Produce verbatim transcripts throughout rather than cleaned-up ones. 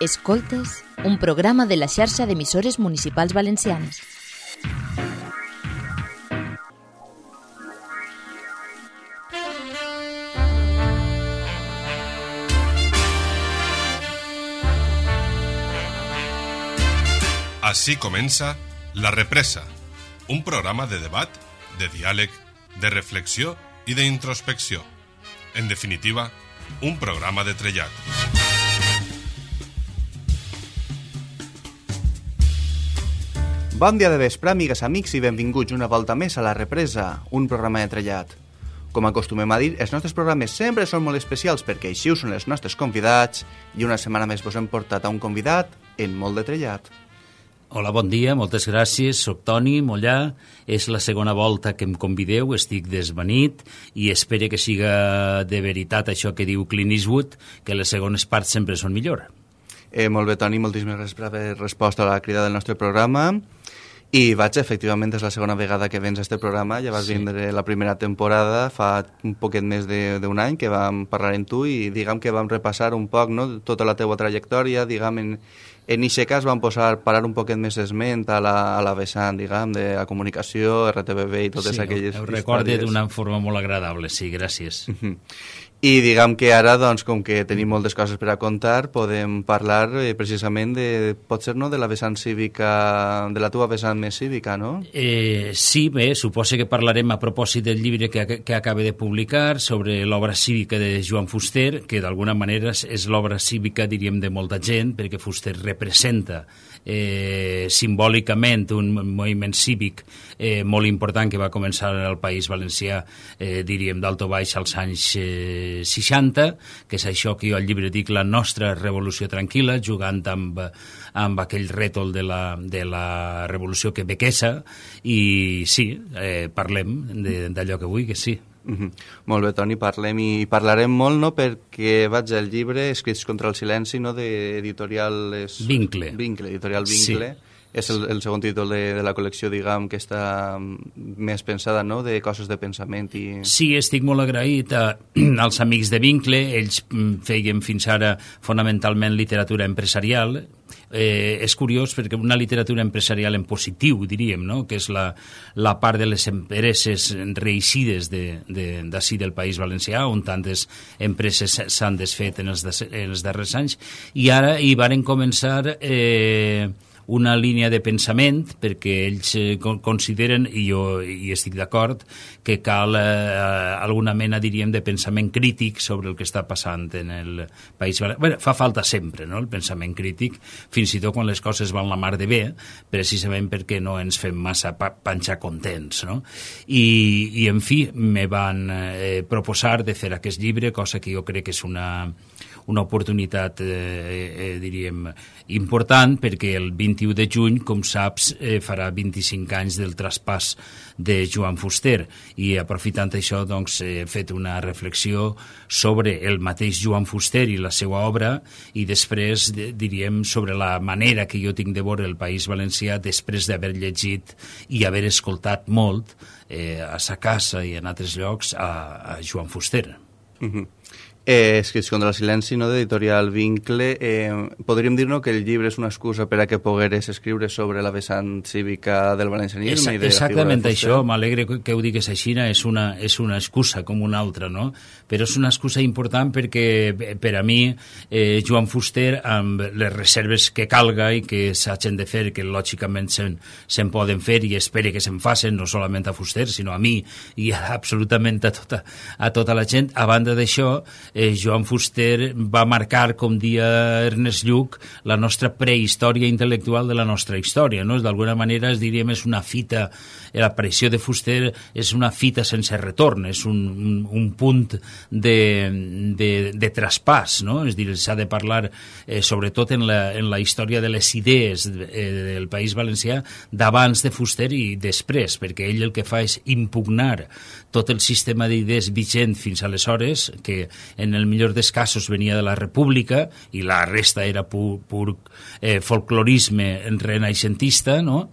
Escoltes, un programa de la xarxa d'emissores municipals valencianes. Així comença La Represa, un programa de debat, de diàleg, de reflexió i d'introspecció. En definitiva, un programa de trellat. Bon dia de vespre, amigues, amics, i benvinguts una volta més a La Represa, un programa de trellat. Com acostumem a dir, els nostres programes sempre són molt especials perquè així ho són els nostres convidats i una setmana més vos hem portat a un convidat en molt de trellat. Hola, bon dia, moltes gràcies, soc Toni Mollà, és la segona volta que em convideu, estic desvenit i espero que siga de veritat això que diu Clint Eastwood, que les segones parts sempre són millor. Eh, molt bé, Toni, moltíssimes gràcies per haver respost a la crida del nostre programa. I vaig, efectivament, és la segona vegada que vens a este programa, ja vas sí. vindre la primera temporada, fa un poquet més d'un any que vam parlar amb tu i diguem que vam repassar un poc, no?, tota la teua trajectòria, diguem, en, en aquest cas vam posar, parar un poquet més esment a la, a la vessant, diguem, de la comunicació, R T V B i totes sí, aquelles històries. Sí, ho recorde d'una forma molt agradable, sí, gràcies. Uh-huh. I diguem que ara, doncs, com que tenim moltes coses per a contar, podem parlar eh, precisament de, pot ser, no?, de la vessant cívica, de la teva vessant més cívica, no? Eh, sí, bé, suposo que parlarem a propòsit del llibre que, que acaba de publicar sobre l'obra cívica de Joan Fuster, que d'alguna manera és l'obra cívica, diríem, de molta gent, perquè Fuster representa eh, simbòlicament un moviment cívic eh, molt important que va començar al País Valencià, eh, diríem, d'alto baix als anys eh, seixanta, que és això que jo al llibre dic la nostra revolució tranquil·la, jugant amb, amb aquell rètol de la, de la revolució quebequesa, i sí, eh, parlem d'allò que vull, que sí. Mm-hmm. Molt bé, Toni, parlem i parlarem molt, no?, perquè vaig al llibre Escrits contra el silenci, no?, d'editorial... És... Vincle. Vincle, editorial Vincle. Sí. És el, el segon títol de, de la col·lecció, diguem, que està més pensada, no?, de coses de pensament. I... Sí, estic molt agraït a, als amics de Vincle. Ells feien fins ara fonamentalment literatura empresarial. Eh, és curiós perquè una literatura empresarial en positiu, diríem, no?, que és la, la part de les empreses reixides d'ací de, del País Valencià, on tantes empreses s'han desfet en els, en els darrers anys, i ara hi varen començar... Eh, una línia de pensament, perquè ells eh, consideren, i jo hi estic d'acord, que cal eh, alguna mena, diríem, de pensament crític sobre el que està passant en el País Valencià. Bé, fa falta sempre, no?, el pensament crític, fins i tot quan les coses van la mar de bé, precisament perquè no ens fem massa pa panxar contents, no? I, i en fi, me van eh, proposar de fer aquest llibre, cosa que jo crec que és una... una oportunitat, eh, eh, diríem, important, perquè el vint-i-u de juny, com saps, eh, farà vint-i-cinc anys del traspàs de Joan Fuster, i aprofitant això, doncs, he fet una reflexió sobre el mateix Joan Fuster i la seva obra, i després, diríem, sobre la manera que jo tinc de veure el País Valencià després d'haver llegit i haver escoltat molt eh, a sa casa i en altres llocs a, a Joan Fuster. Mhm. Eh, Escrits contra el silenci, no?, d'editorial Vincle. Eh, podríem dir, no?, que el llibre és una excusa per a que pogueres escriure sobre la vessant cívica del valencianisme. Esa, i de exactament això, m'alegre que ho digues així, és una, és una excusa com una altra, no? Però és una excusa important perquè per a mi eh, Joan Fuster, amb les reserves que calga i que s'hagin de fer, que lògicament se'n se poden fer i espero que se'n facin, no solament a Fuster, sinó a mi i a, absolutament a tota, a tota la gent. A banda d'això, Eh, Joan Fuster va marcar, com dia Ernest Lluch, la nostra prehistòria intel·lectual de la nostra història, no? D'alguna manera, es diríem, és una fita, l'aparició de Fuster és una fita sense retorn, és un, un, un punt de, de, de traspàs, no? És dir, s'ha de parlar, eh, sobretot en la, en la història de les idees eh, del País Valencià, d'abans de Fuster i després, perquè ell el que fa és impugnar tot el sistema d'idees vigent fins aleshores, que en el millor dels casos venia de la República i la resta era pur, pur eh, folclorisme renaixentista, no?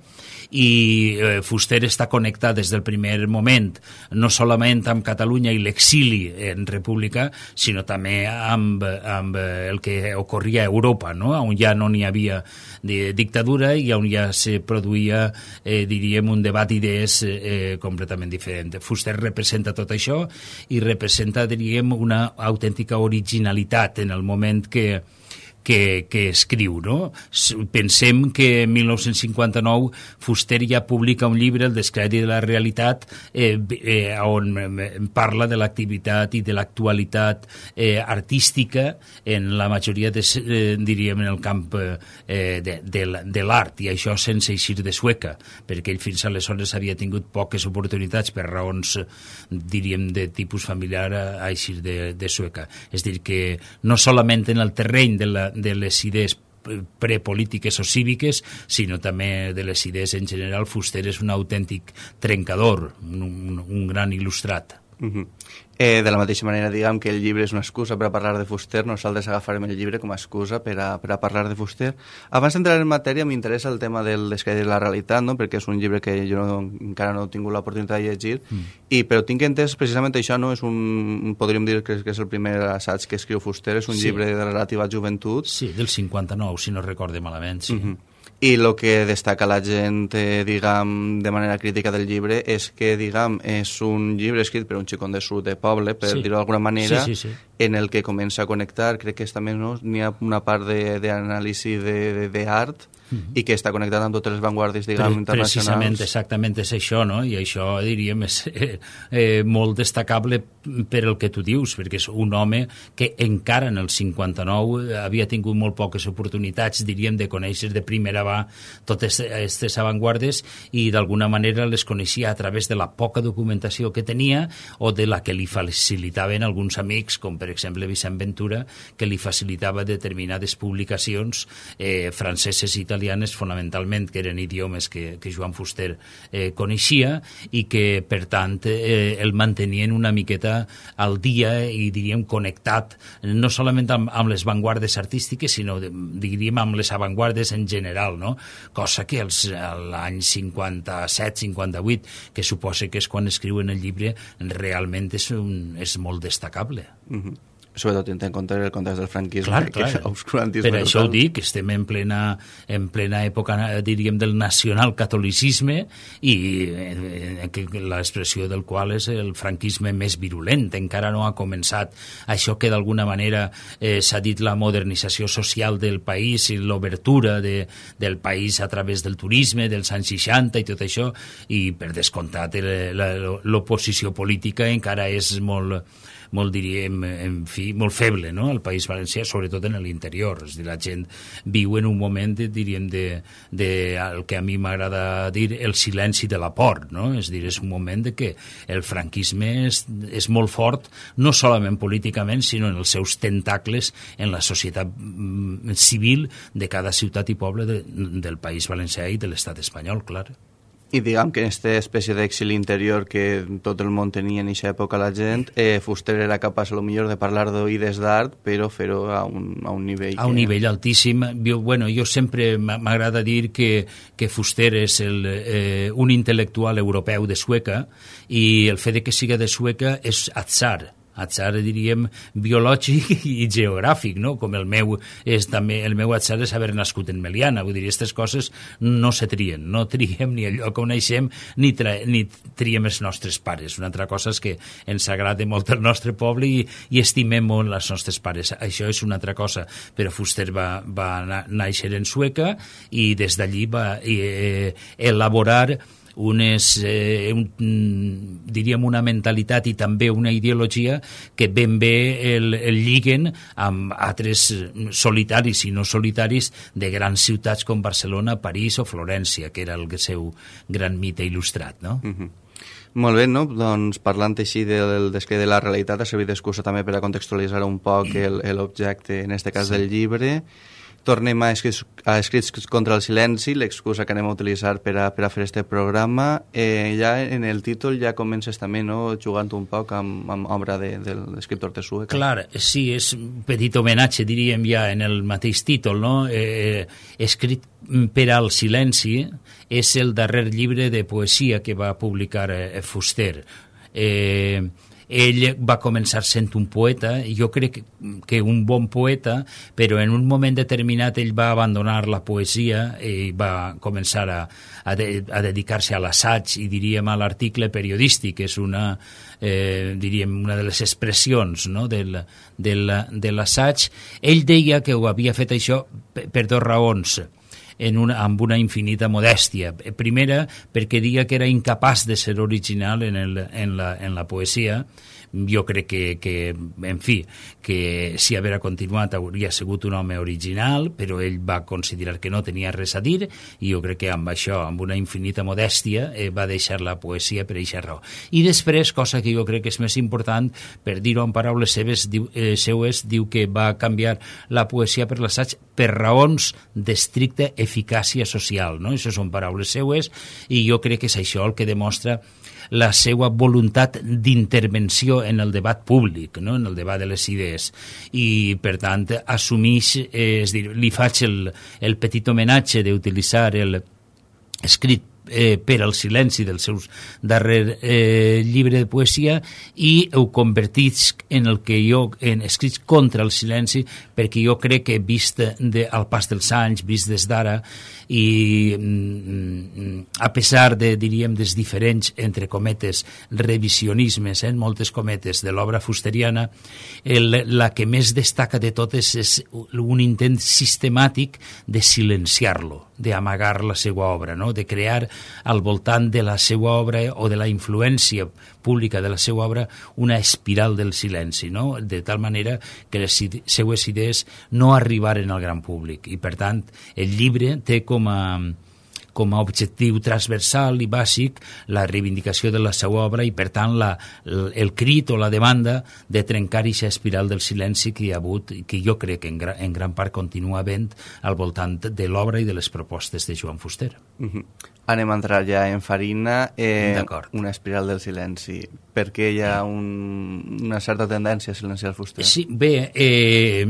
i eh, Fuster està connectat des del primer moment no solament amb Catalunya i l'exili en república, sinó també amb, amb el que ocorria a Europa, no? On ja no n'hi havia de dictadura i on ja se produïa, eh, diríem, un debat d'idees eh, completament diferent. Fuster representa tot això i representa, diríem, una autèntica originalitat en el moment que Que, que escriu, no? Pensem que en mil nou-cents cinquanta-nou Fuster ja publica un llibre, El descrèdit de la realitat, eh, eh, on parla de l'activitat i de l'actualitat eh, artística en la majoria, de, eh, diríem, en el camp eh, de, de, de l'art, i això sense eixir de Sueca, perquè ell fins aleshores havia tingut poques oportunitats per raons, diríem, de tipus familiar a eixir de, de Sueca. És a dir, que no solament en el terreny de la de les idees prepolítiques o cíviques, sinó també de les idees en general. Fuster és un autèntic trencador, un, un, un gran il·lustrat. Uh-huh. Eh, de la mateixa manera, diguem que el llibre és una excusa per a parlar de Fuster, nosaltres agafarem el llibre com a excusa per a, per a parlar de Fuster. Abans d'entrar en matèria, m'interessa el tema del descrèdit de la realitat, no? Perquè és un llibre que jo no, encara no he tingut l'oportunitat de llegir, mm. i, però tinc entès precisament això, no? És un, podríem dir que, que és el primer assaig que escriu Fuster, és un sí. llibre de relativa joventut. Sí, del cinquanta-nou, si no recorde malament, sí. Uh-huh. I el que destaca la gent, eh, diguem, de manera crítica del llibre és que, diguem, és un llibre escrit per un xicón de sud de poble, per sí. dir-ho d'alguna manera, sí, sí, sí. en el que comença a connectar, crec que és també, no? N'hi ha una part d'anàlisi d'art, mm-hmm. i que està connectat amb totes les vanguardies, diguem, Pre internacionals. Precisament, exactament és això, no? I això, diríem, és eh, eh, molt destacable per el que tu dius, perquè és un home que encara en el cinquanta-nou havia tingut molt poques oportunitats, diríem, de conèixer de primera va totes aquestes avantguardes, i d'alguna manera les coneixia a través de la poca documentació que tenia o de la que li facilitaven alguns amics, com per exemple Vicent Ventura, que li facilitava determinades publicacions eh, franceses i italianes, fonamentalment, que eren idiomes que, que Joan Fuster eh, coneixia, i que, per tant, eh, el mantenien una miqueta al dia i, diríem, connectat no solament amb, amb les vanguardes artístiques, sinó, diríem, amb les avantguardes en general, no? Cosa que els, l'any cinquanta-set cinquanta-vuit, que suposa que és quan escriuen el llibre, realment és, un, és molt destacable. Mm-hmm. Sobretot tenint en compte el context del franquisme, clar, que clar. obscurantisme per total. això ho dic, estem en plena, en plena època, diríem, del nacionalcatolicisme, i eh, que l'expressió del qual és el franquisme més virulent. Encara no ha començat això que d'alguna manera eh, s'ha dit la modernització social del país i l'obertura de, del país a través del turisme dels anys seixanta i tot això, i per descomptat l'oposició política encara és molt molt, diríem, en fi, molt feble, no?, al País Valencià, sobretot en l'interior. És a dir, la gent viu en un moment, diríem, de, de el que a mi m'agrada dir el silenci de la por, no? És a dir, és un moment de que el franquisme és, és molt fort, no solament políticament, sinó en els seus tentacles en la societat civil de cada ciutat i poble de, del País Valencià i de l'estat espanyol, clar. I diguem que en aquesta espècie d'exili interior que tot el món tenia en aquesta època la gent, eh, Fuster era capaç a lo millor de parlar d'oïdes d'art, però fer-ho a, un, a un nivell... A un que... nivell altíssim. Jo, bueno, jo sempre m'agrada dir que, que Fuster és el, eh, un intel·lectual europeu de Sueca, i el fet de que siga de Sueca és atzar. atzar, diríem, biològic i geogràfic, no? Com el meu és també, el meu atzar és haver nascut en Meliana, vull dir, aquestes coses no se trien, no triem ni el lloc on naixem, ni, tra ni triem els nostres pares. Una altra cosa és que ens agrada molt el nostre poble i, i estimem molt els nostres pares. Això és una altra cosa, però Fuster va, va néixer en Sueca i des d'allí va eh, elaborar unes, eh, un, diríem, una mentalitat i també una ideologia que ben bé el, el lliguen amb altres solitaris i no solitaris de grans ciutats com Barcelona, París o Florència, que era el seu gran mite il·lustrat, no? Mm-hmm. Molt bé, no? Doncs parlant així del descrèdit de la realitat, ha servit d'excusa també per a contextualitzar un poc l'objecte, en aquest cas, sí, del llibre. tornem a escrits, a escrits contra el silenci, l'excusa que anem a utilitzar per a, per a fer este programa. Eh, ja en el títol ja comences també, no?, jugant un poc amb, amb obra de, de l'escriptor Tesueca. Clar, sí, és un petit homenatge, diríem ja en el mateix títol, no? Eh, escrit per al silenci és el darrer llibre de poesia que va publicar eh, Fuster. Eh, ell va començar sent un poeta, jo crec que un bon poeta, però en un moment determinat ell va abandonar la poesia i va començar a, a, de, a dedicar-se a l'assaig i diríem a l'article periodístic, que és una, eh, diríem, una de les expressions, no?, del, del, de l'assaig. Ell deia que ho havia fet això per, per dues raons. En una, amb una infinita modèstia. Primera, perquè dia que era incapaç de ser original en, el, en, la, en la poesia. Jo crec que, que, en fi, que si haver continuat hauria sigut un home original, però ell va considerar que no tenia res a dir i jo crec que amb això, amb una infinita modèstia, eh, va deixar la poesia per eixa raó. I després, cosa que jo crec que és més important, per dir-ho en paraules seves, diu, eh, seues, diu que va canviar la poesia per l'assaig per raons d'estricta eficàcia social, no? Això són paraules seues i jo crec que és això el que demostra la seva voluntat d'intervenció en el debat públic, no?, en el debat de les idees. I, per tant, assumeix, eh, és dir, li faig el, el petit homenatge d'utilitzar el escrit Eh, per al silenci del seu darrer eh, llibre de poesia i ho convertís en el que jo, en escrits contra el silenci, perquè jo crec que vist de, al pas dels anys, vist des d'ara, i mm, a pesar de, diríem, dels diferents, entre cometes, revisionismes, en eh, moltes cometes, de l'obra fusteriana, el, la que més destaca de totes és un intent sistemàtic de silenciar-lo, d'amagar la seva obra, no?, de crear al voltant de la seva obra o de la influència pública de la seva obra una espiral del silenci, no?, de tal manera que les seues idees no arribaren al gran públic. I, per tant, el llibre té com a, com a objectiu transversal i bàsic la reivindicació de la seva obra i, per tant, la, el crit o la demanda de trencar aquesta espiral del silenci que hi ha hagut i que jo crec que en, gra, en gran part continua havent al voltant de l'obra i de les propostes de Joan Fuster. Uh-huh. Anem a entrar ja en farina. Eh, una espiral del silenci. Per què hi ha un, una certa tendència a silenciar Fuster? Sí, bé, eh,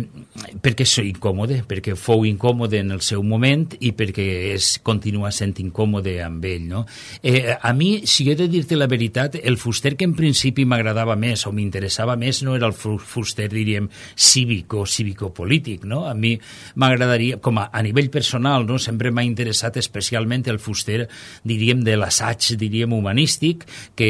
perquè soy incòmode, perquè fou incòmode en el seu moment i perquè és, continua sent incòmode amb ell, no? Eh, a mi, si he de dir-te la veritat, el Fuster que en principi m'agradava més o m'interessava més no era el Fuster, diríem, cívico, cívico-polític, no? A mi m'agradaria, com a, a nivell personal, no?, sempre m'ha interessat especialment el Fuster, diríem, de l'assaig, diríem, humanístic, que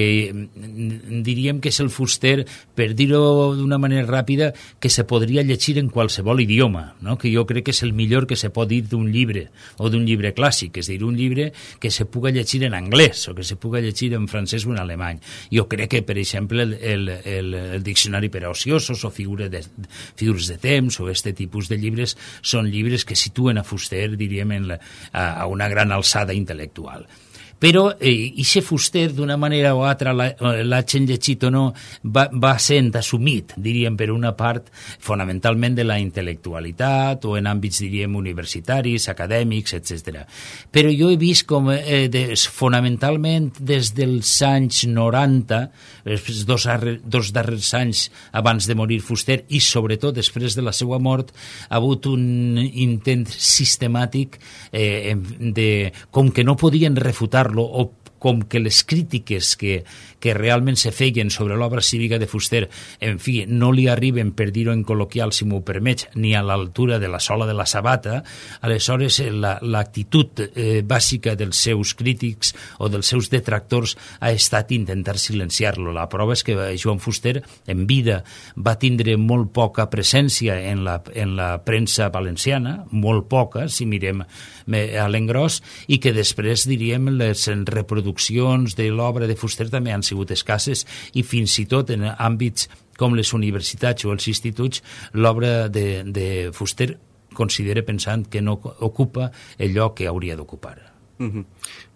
diríem que és el Fuster, per dir-ho d'una manera ràpida, que se podria llegir en qualsevol idioma, no?, que jo crec que és el millor que se pot dir d'un llibre, o d'un llibre clàssic, és a dir, un llibre que se puga llegir en anglès, o que se puga llegir en francès o en alemany. Jo crec que, per exemple, el, el, el, el diccionari per a ociosos, o figures de, figures de temps, o este tipus de llibres, són llibres que situen a Fuster, diríem, en la, a, a una gran alçada intel·lectual. Però eh, ixe Fuster, d'una manera o altra, l'hagin llegit o no, va, va sent assumit, diríem, per una part fonamentalment de la intel·lectualitat o en àmbits, diríem, universitaris, acadèmics, etcètera. Però jo he vist com eh, des, fonamentalment des dels anys noranta, els dos, dos darrers anys abans de morir Fuster i sobretot després de la seva mort, ha hagut un intent sistemàtic eh, de, com que no podien refutar o com que les crítiques que, que realment se feien sobre l'obra cívica de Fuster, en fi, no li arriben, per dir-ho en col·loquial, si m'ho permets, ni a l'altura de la sola de la sabata, aleshores l'actitud la, eh, bàsica dels seus crítics o dels seus detractors ha estat intentar silenciar-lo. La prova és que Joan Fuster, en vida, va tindre molt poca presència en la, en la premsa valenciana, molt poca, si mirem a l'engròs, i que després, diríem, les reproduccions de l'obra de Fuster també han sigut escasses i fins i tot en àmbits com les universitats o els instituts l'obra de, de Fuster considera pensant que no ocupa el lloc que hauria d'ocupar. Mm-hmm.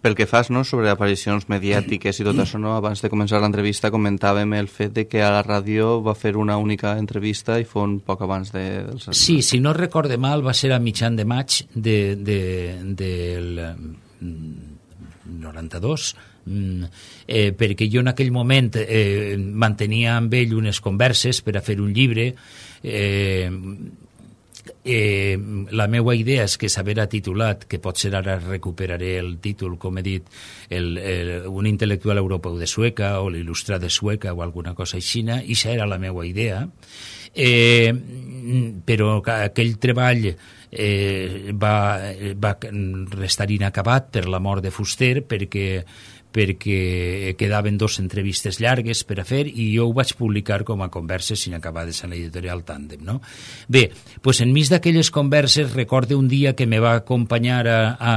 Pel que fas, no?, sobre aparicions mediàtiques i tot això, no?, abans de començar l'entrevista comentàvem el fet de que a la ràdio va fer una única entrevista i fon poc abans de... Dels... Sí, si no recorde mal, va ser a mitjan de maig de, de, del noranta-dos, eh, perquè jo en aquell moment eh, mantenia amb ell unes converses per a fer un llibre. eh, Eh, la meva idea és que s'haverà titulat, que potser ara recuperaré el títol, com he dit, el, el, un intel·lectual europeu de Sueca o l'il·lustrat de Sueca o alguna cosa així, i això era la meva idea. Eh, però aquell treball eh, va, va restar inacabat per la mort de Fuster, perquè perquè quedaven dos entrevistes llargues per a fer i jo ho vaig publicar com a converses inacabades a l'editorial Tàndem, no? Bé, doncs enmig d'aquelles converses recorde un dia que me va acompanyar a, a,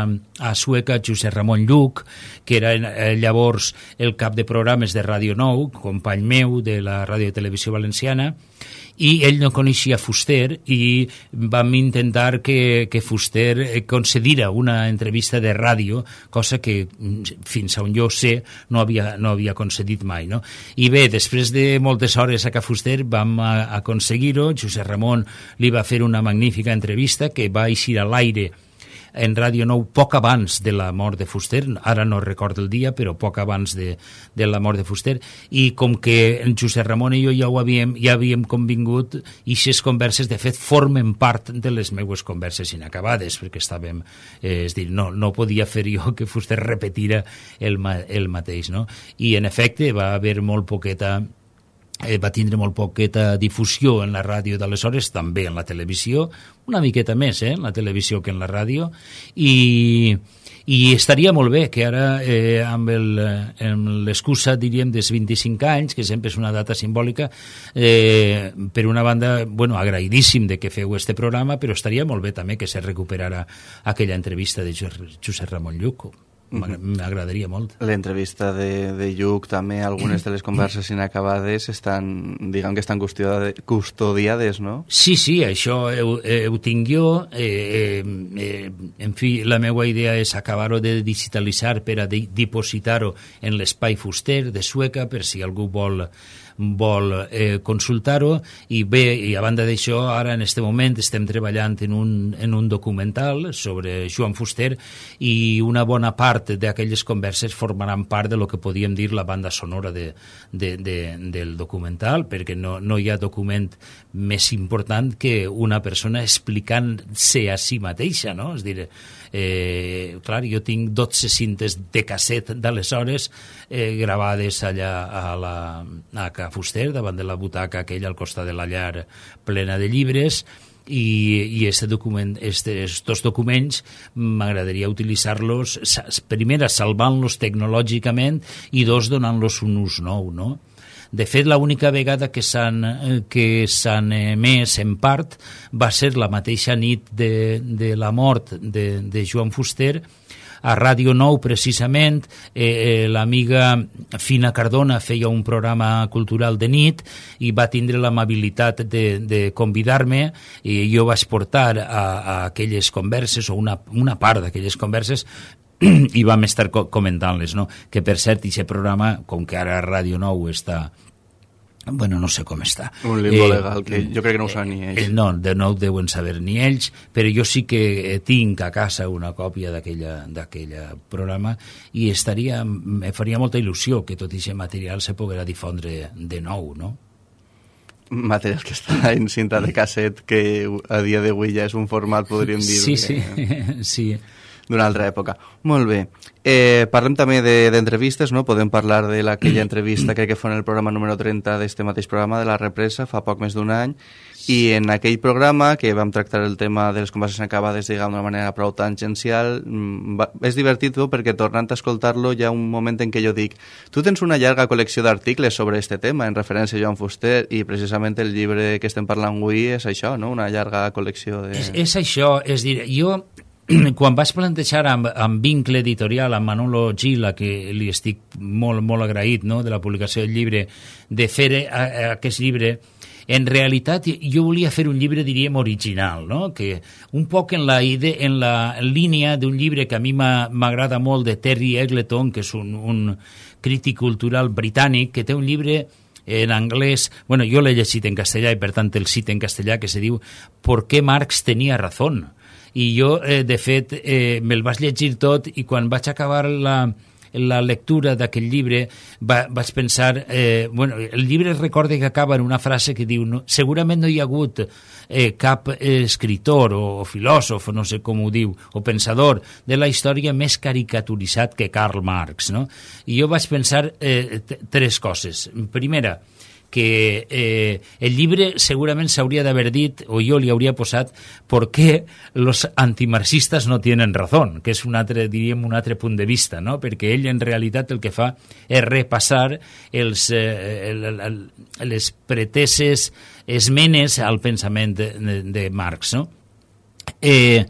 a Sueca Josep Ramon Lluc, que era eh, llavors el cap de programes de Ràdio Nou, company meu de la Ràdio i Televisió Valenciana, i ell no coneixia Fuster i vam intentar que, que Fuster concedira una entrevista de ràdio, cosa que fins a on jo sé no havia, no havia concedit mai, no? I bé, després de moltes hores a ca Fuster vam aconseguir-ho. Josep Ramon li va fer una magnífica entrevista que va eixir a l'aire en Ràdio Nou poc abans de la mort de Fuster, ara no recordo el dia, però poc abans de, de la mort de Fuster, i com que en Josep Ramon i jo ja ho havíem, ja havíem convingut, i aquestes converses, de fet, formen part de les meues converses inacabades, perquè estàvem, eh, és dir, no, no podia fer jo que Fuster repetira el, el mateix, no? I, en efecte, va haver molt poqueta... Eh, va tindre molt poqueta difusió en la ràdio d'aleshores, també en la televisió, una miqueta més eh, en la televisió que en la ràdio, i, i estaria molt bé que ara, eh, amb l'excusa, diríem, dels vint-i-cinc anys, que sempre és una data simbòlica, eh, per una banda, bueno, agraïdíssim de que feu este programa, però estaria molt bé també que se recuperara aquella entrevista de Josep Ramon Lluc. M'agradaria molt. L'entrevista de, de Lluc, també algunes de les converses inacabades estan, diguem que estan custodiades, no? Sí, sí, això ho, eh, ho tinc jo. Eh, eh, en fi, la meva idea és acabar-ho de digitalitzar per a dipositar-ho en l'espai Fuster de Sueca, per si algú vol vol eh, consultar-ho. I bé, i a banda d'això, ara en este moment estem treballant en un, en un documental sobre Joan Fuster, i una bona part d'aquelles converses formaran part de lo que podíem dir la banda sonora de, de, de, del documental, perquè no, no hi ha document més important que una persona explicant-se a si mateixa, no? És dir, eh, clar, jo tinc dotze cintes de casset d'aleshores eh, gravades allà a la a Ca Fuster, davant de la butaca aquella al costat de la llar plena de llibres, i, i este document, estos dos documents m'agradaria utilitzar-los, primer salvant-los tecnològicament i dos donant-los un ús nou, no? De fet, l'única vegada que s'han que s'han emès en part va ser la mateixa nit de, de la mort de, de Joan Fuster, a Ràdio Nou, precisament. eh, l'amiga Fina Cardona feia un programa cultural de nit i va tindre l'amabilitat de, de convidar-me, i jo vaig portar a, a aquelles converses, o una, una part d'aquelles converses, i vam estar co comentant-les, no? Que, per cert, aquest programa, com que ara Ràdio Nou està... Bueno, no sé com està. Un limbo eh, legal, que jo crec que no ho saben ni ells. Eh, no, de no ho deuen saber ni ells, però jo sí que tinc a casa una còpia d'aquell programa, i estaria, me faria molta il·lusió que tot aquest material se poguera difondre de nou, no? Material que està en cinta de casset, que a dia d'avui ja és un format, podríem dir. Sí, sí, que... sí. D'una altra època. Molt bé. Eh, parlem també d'entrevistes, no? Podem parlar de aquella entrevista, crec que fue en el programa número trenta d'este mateix programa, de La Represa, fa poc més d'un any, i en aquell programa, que vam tractar el tema de les converses acabades, diguem, d'una manera prou tangencial, va, és divertit, no? Perquè tornant a escoltar-lo hi ha un moment en què jo dic, tu tens una llarga col·lecció d'articles sobre este tema, en referència a Joan Fuster, i precisament el llibre que estem parlant avui és això, no? Una llarga col·lecció de... És, és això, és dir, jo... Quan vaig plantejar amb, amb Vincle Editorial, amb Manolo Gil, a que li estic molt, molt agraït, no?, de la publicació del llibre, de fer a, a aquest llibre, en realitat jo volia fer un llibre, diríem, original, no? Que un poc en la, idea, en la línia d'un llibre que a mi m'agrada molt, de Terry Eggleton, que és un, un crític cultural britànic, que té un llibre en anglès, bueno, jo l'he llegit en castellà i per tant el cite en castellà, que se diu ¿Por qué Marx tenía razón? I jo, eh, de fet, eh, me'l vaig llegir tot i quan vaig acabar la, la lectura d'aquest llibre va, vaig pensar, eh, bueno, el llibre recorda que acaba en una frase que diu no, segurament no hi ha hagut eh, cap escritor o, o filòsof, no sé com ho diu, o pensador de la història més caricaturitzat que Karl Marx, no? I jo vaig pensar eh, tres coses. Primera, que eh, el llibre segurament s'hauria d'haver dit, o jo li hauria posat, ¿por qué los antimarxistas no tienen razón? Que és un altre, diríem, un altre punt de vista, no? Perquè ell en realitat el que fa és repassar els, eh, el, el, les preteses esmenes al pensament de, de, de Marx, no? Eh,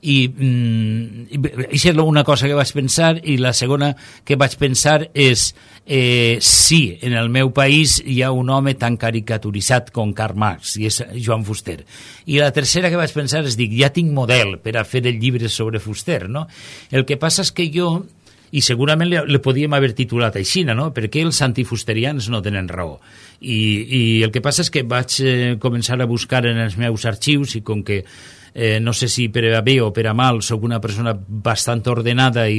i mm, això és una cosa que vaig pensar, i la segona que vaig pensar és eh, sí, en el meu país hi ha un home tan caricaturitzat com Karl Marx, i és Joan Fuster. I la tercera que vaig pensar és, dic, ja tinc model per a fer el llibre sobre Fuster, no? El que passa és que jo, i segurament le, le podíem haver titulat així, no? Perquè els antifusterians no tenen raó. I, i el que passa és que vaig eh, començar a buscar en els meus arxius, i com que Eh, no sé si per a bé o per a mal soc una persona bastant ordenada i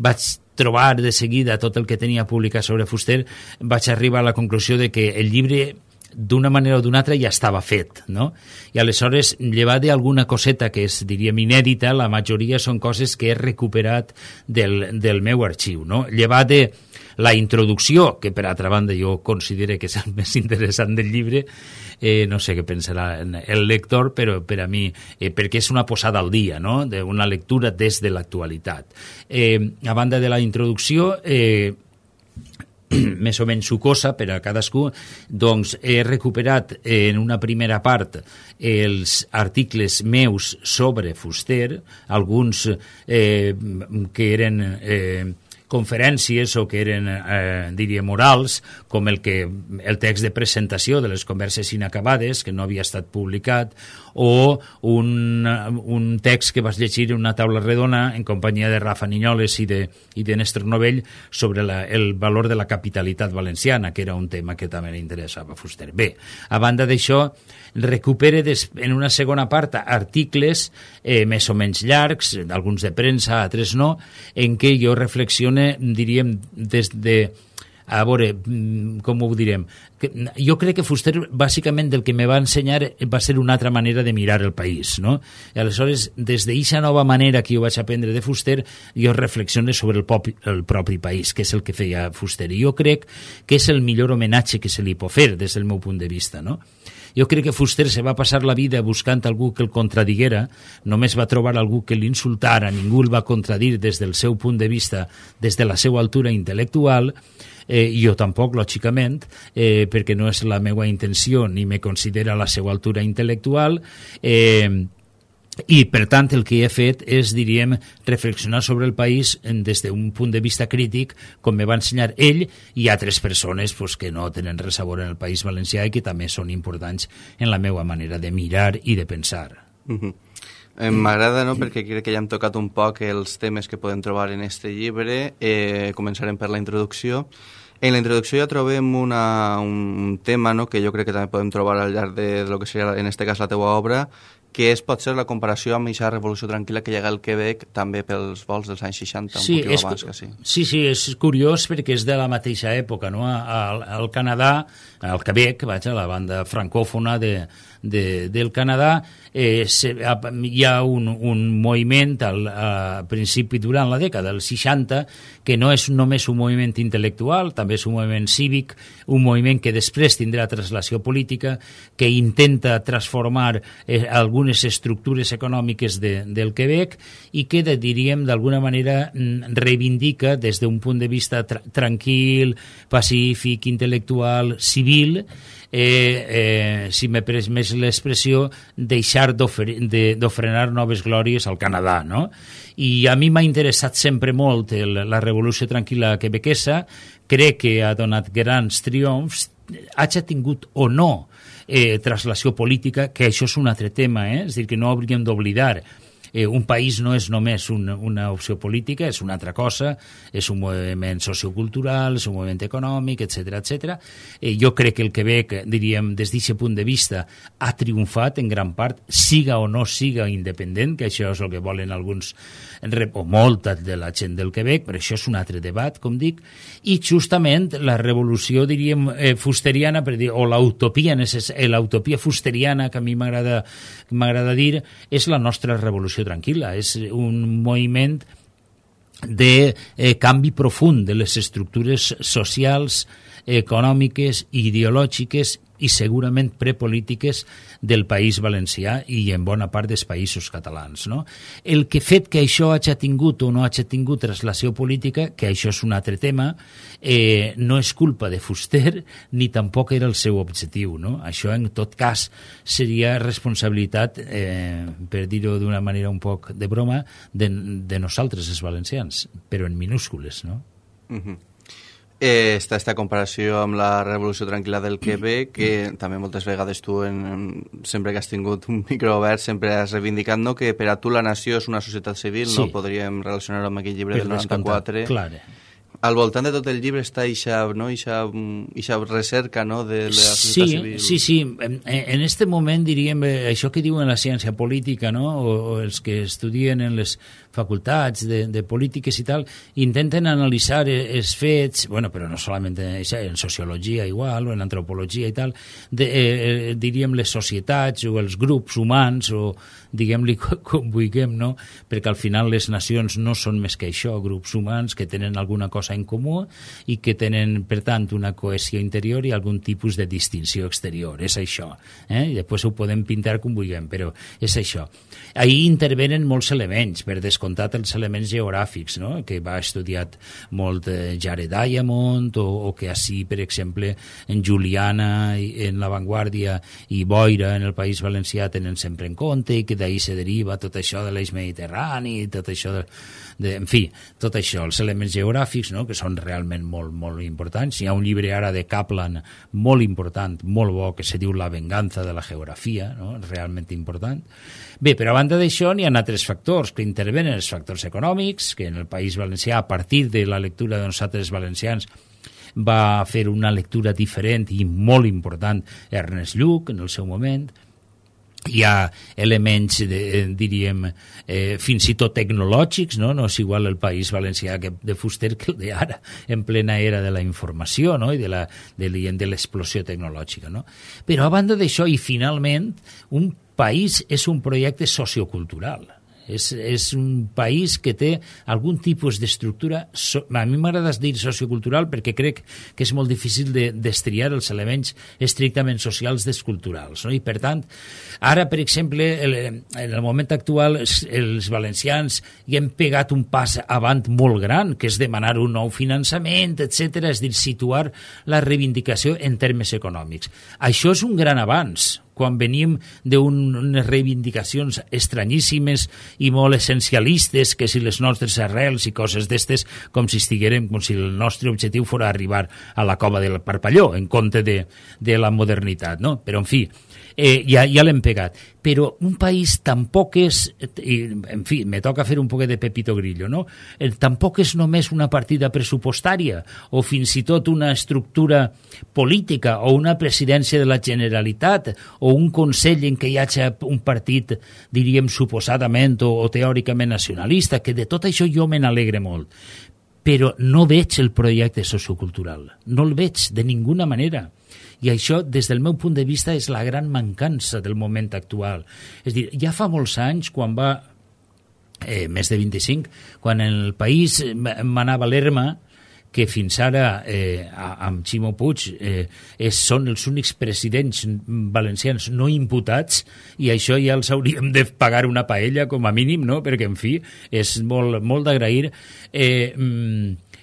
vaig trobar de seguida tot el que tenia publicat sobre Fuster, vaig arribar a la conclusió de que el llibre d'una manera o d'una altra ja estava fet, no? I aleshores, llevat d'alguna coseta que és, diríem, inèdita, la majoria són coses que he recuperat del, del meu arxiu, no? Llevat de la introducció, que per altra banda jo considero que és el més interessant del llibre, eh, no sé què pensarà el lector, però per a mi, eh, perquè és una posada al dia, no? Una lectura des de l'actualitat. Eh, a banda de la introducció, eh, més o menys sucosa per a cadascú, doncs he recuperat en una primera part els articles meus sobre Fuster, alguns eh, que eren eh, conferències o que eren, eh, diria, morals, com el, que, el text de presentació de les converses inacabades, que no havia estat publicat, o un, un text que vas llegir en una taula redona en companyia de Rafa Niñoles i de, i de Néstor Novell sobre la, el valor de la capitalitat valenciana, que era un tema que també li interessava a Fuster. Bé, a banda d'això, recupere des, en una segona part articles eh, més o menys llargs, alguns de premsa, altres no, en què jo reflexione, diríem, des de... A veure, com ho direm? Jo crec que Fuster, bàsicament, del que me va ensenyar va ser una altra manera de mirar el país, no? I aleshores, des d'aquesta nova manera que jo vaig aprendre de Fuster, jo reflexiono sobre el, pop, el propi país, que és el que feia Fuster. I jo crec que és el millor homenatge que se li pot fer, des del meu punt de vista, no? Jo crec que Fuster se va passar la vida buscant algú que el contradiguera, només va trobar algú que l'insultara, ningú el va contradir des del seu punt de vista, des de la seva altura intel·lectual, eh, jo tampoc, lògicament, eh, perquè no és la meva intenció ni me considera la seva altura intel·lectual, eh, i per tant el que he fet és, diríem, reflexionar sobre el país des d'un punt de vista crític, com me va ensenyar ell i altres persones pues, que no tenen res a veure en el País Valencià i que també són importants en la meva manera de mirar i de pensar. Uh-huh. Eh, M'agrada, no?, perquè crec que ja hem tocat un poc els temes que podem trobar en este llibre. Eh, començarem per la introducció. En la introducció ja trobem una, un tema, no?, que jo crec que també podem trobar al llarg de, de lo que seria, en este cas, la teua obra, que és potser la comparació amb aquesta revolució tranquil·la que llega al Quebec també pels vols dels anys seixanta, sí, un poquet és, abans que sí. Sí, sí, és curiós perquè és de la mateixa època, no? Al, al Canadà, al Quebec, vaja, la banda francòfona de, de, del Canadà, eh, se, hi ha un, un moviment al a principi durant la dècada dels seixanta que no és només un moviment intel·lectual, també és un moviment cívic, un moviment que després tindrà translació política, que intenta transformar eh, algunes estructures econòmiques de, del Quebec i que, de, diríem, d'alguna manera reivindica des d'un punt de vista tra tranquil, pacífic, intel·lectual, civil, eh, eh, si me permès és l'expressió deixar d'ofrenar noves glòries al Canadà, no? I a mi m'ha interessat sempre molt el, la Revolució Tranquil·la quebequesa, crec que ha donat grans triomfs, hagi tingut o no eh, translació política, que això és un altre tema, eh? És a dir, que no hauríem d'oblidar. Eh, un país no és només un, una opció política, és una altra cosa, és un moviment sociocultural, és un moviment econòmic, etcètera, etcètera. Eh, jo crec que el Quebec, diríem, des d'aquest punt de vista, ha triomfat en gran part, siga o no siga independent, que això és el que volen alguns, o molta de la gent del Quebec, però això és un altre debat, com dic, i justament la revolució, diríem, eh, fusteriana, per dir, o l'utopia l'utopia fusteriana, que a mi m'agrada m'agrada dir, és la nostra revolució tranquil·la, és un moviment de eh, canvi profund de les estructures socials, econòmiques, ideològiques i segurament prepolítiques del País Valencià i en bona part dels països catalans, no? El que fet que això hagi tingut o no hagi tingut translació política, que això és un altre tema, eh, no és culpa de Fuster ni tampoc era el seu objectiu, no? Això en tot cas seria responsabilitat, eh, per dir-ho d'una manera un poc de broma, de, de nosaltres els valencians, però en minúscules, no? Mhm. Eh, està esta comparació amb la Revolució Tranquil·la del Quebec, que també moltes vegades tu, en, en, sempre que has tingut un micro obert, sempre has reivindicat, no?, que per a tu la nació és una societat civil, sí. No podríem relacionar-ho amb aquell llibre per del noranta-quatre. Clar. Al voltant de tot el llibre està ixa, no? ixa, ixa recerca, no?, de la societat sí, civil. Sí, sí, en, en este moment, diríem, això que diuen la ciència política, no?, o, o els que estudien en les facultats de, de polítiques i tal, intenten analitzar els fets, bueno, però no solament en, en sociologia igual, o en antropologia i tal, de, eh, diríem les societats o els grups humans, o diguem-li com vulguem, no?, perquè al final les nacions no són més que això, grups humans que tenen alguna cosa en comú i que tenen, per tant, una cohesió interior i algun tipus de distinció exterior. És això. Eh? I després ho podem pintar com vulguem, però és això. Ahí intervenen molts elements, per descomptat els elements geogràfics, no?, que va estudiar molt eh, Jared Diamond, o, o que així, per exemple, en Juliana, en La Vanguardia i Boira, en el País Valencià, tenen sempre en compte, i que d'ahir se deriva tot això de l'eix mediterrani, tot això de, de, en fi, tot això, els elements geogràfics, no?, que són realment molt, molt importants. Hi ha un llibre ara de Kaplan molt important, molt bo, que se diu La venganza de la geografia, no?, realment important. Bé, però a banda d'això n'hi ha altres factors que intervenen, els factors econòmics, que en el País Valencià, a partir de la lectura de nosaltres valencians, va fer una lectura diferent i molt important Ernest Lluch en el seu moment. Hi ha elements, de, diríem, eh, fins i tot tecnològics, no? No és igual el País Valencià que de Fuster que el d'ara, en plena era de la informació, no?, i de, la, de, de l'explosió tecnològica, no? Però a banda d'això, i finalment, un país és un projecte sociocultural. És, és un país que té algun tipus d'estructura, so, a mi m'agrada dir sociocultural perquè crec que és molt difícil de destriar els elements estrictament socials dels culturals, no? I per tant, ara, per exemple, el, en el moment actual, els, els valencians hi hem pegat un pas avant molt gran, que és demanar un nou finançament, etcètera, és dir, situar la reivindicació en termes econòmics. Això és un gran avanç, quan venim d'unes reivindicacions estranyíssimes i molt essencialistes, que si les nostres arrels i coses d'estes, com si estiguérem, com si el nostre objectiu fos arribar a la cova del Parpalló, en compte de, de la modernitat, no? Però, en fi, eh, ja, ja l'hem pegat. Però un país tampoc és, i, en fi, me toca fer un poc de Pepito Grillo, no? Eh, tampoc és només una partida pressupostària o fins i tot una estructura política o una presidència de la Generalitat o un Consell en què hi hagi un partit, diríem, suposadament o, o teòricament nacionalista, que de tot això jo me n'alegre molt. Però no veig el projecte sociocultural, no el veig de ninguna manera. I això, des del meu punt de vista, és la gran mancança del moment actual. És a dir, ja fa molts anys, quan va, eh, més de vint-i-cinc, quan en el país manava l'Erma, que fins ara, eh, amb Ximo Puig, eh, és, són els únics presidents valencians no imputats, i això ja els hauríem de pagar una paella, com a mínim, no?, perquè, en fi, és molt, molt d'agrair. Eh,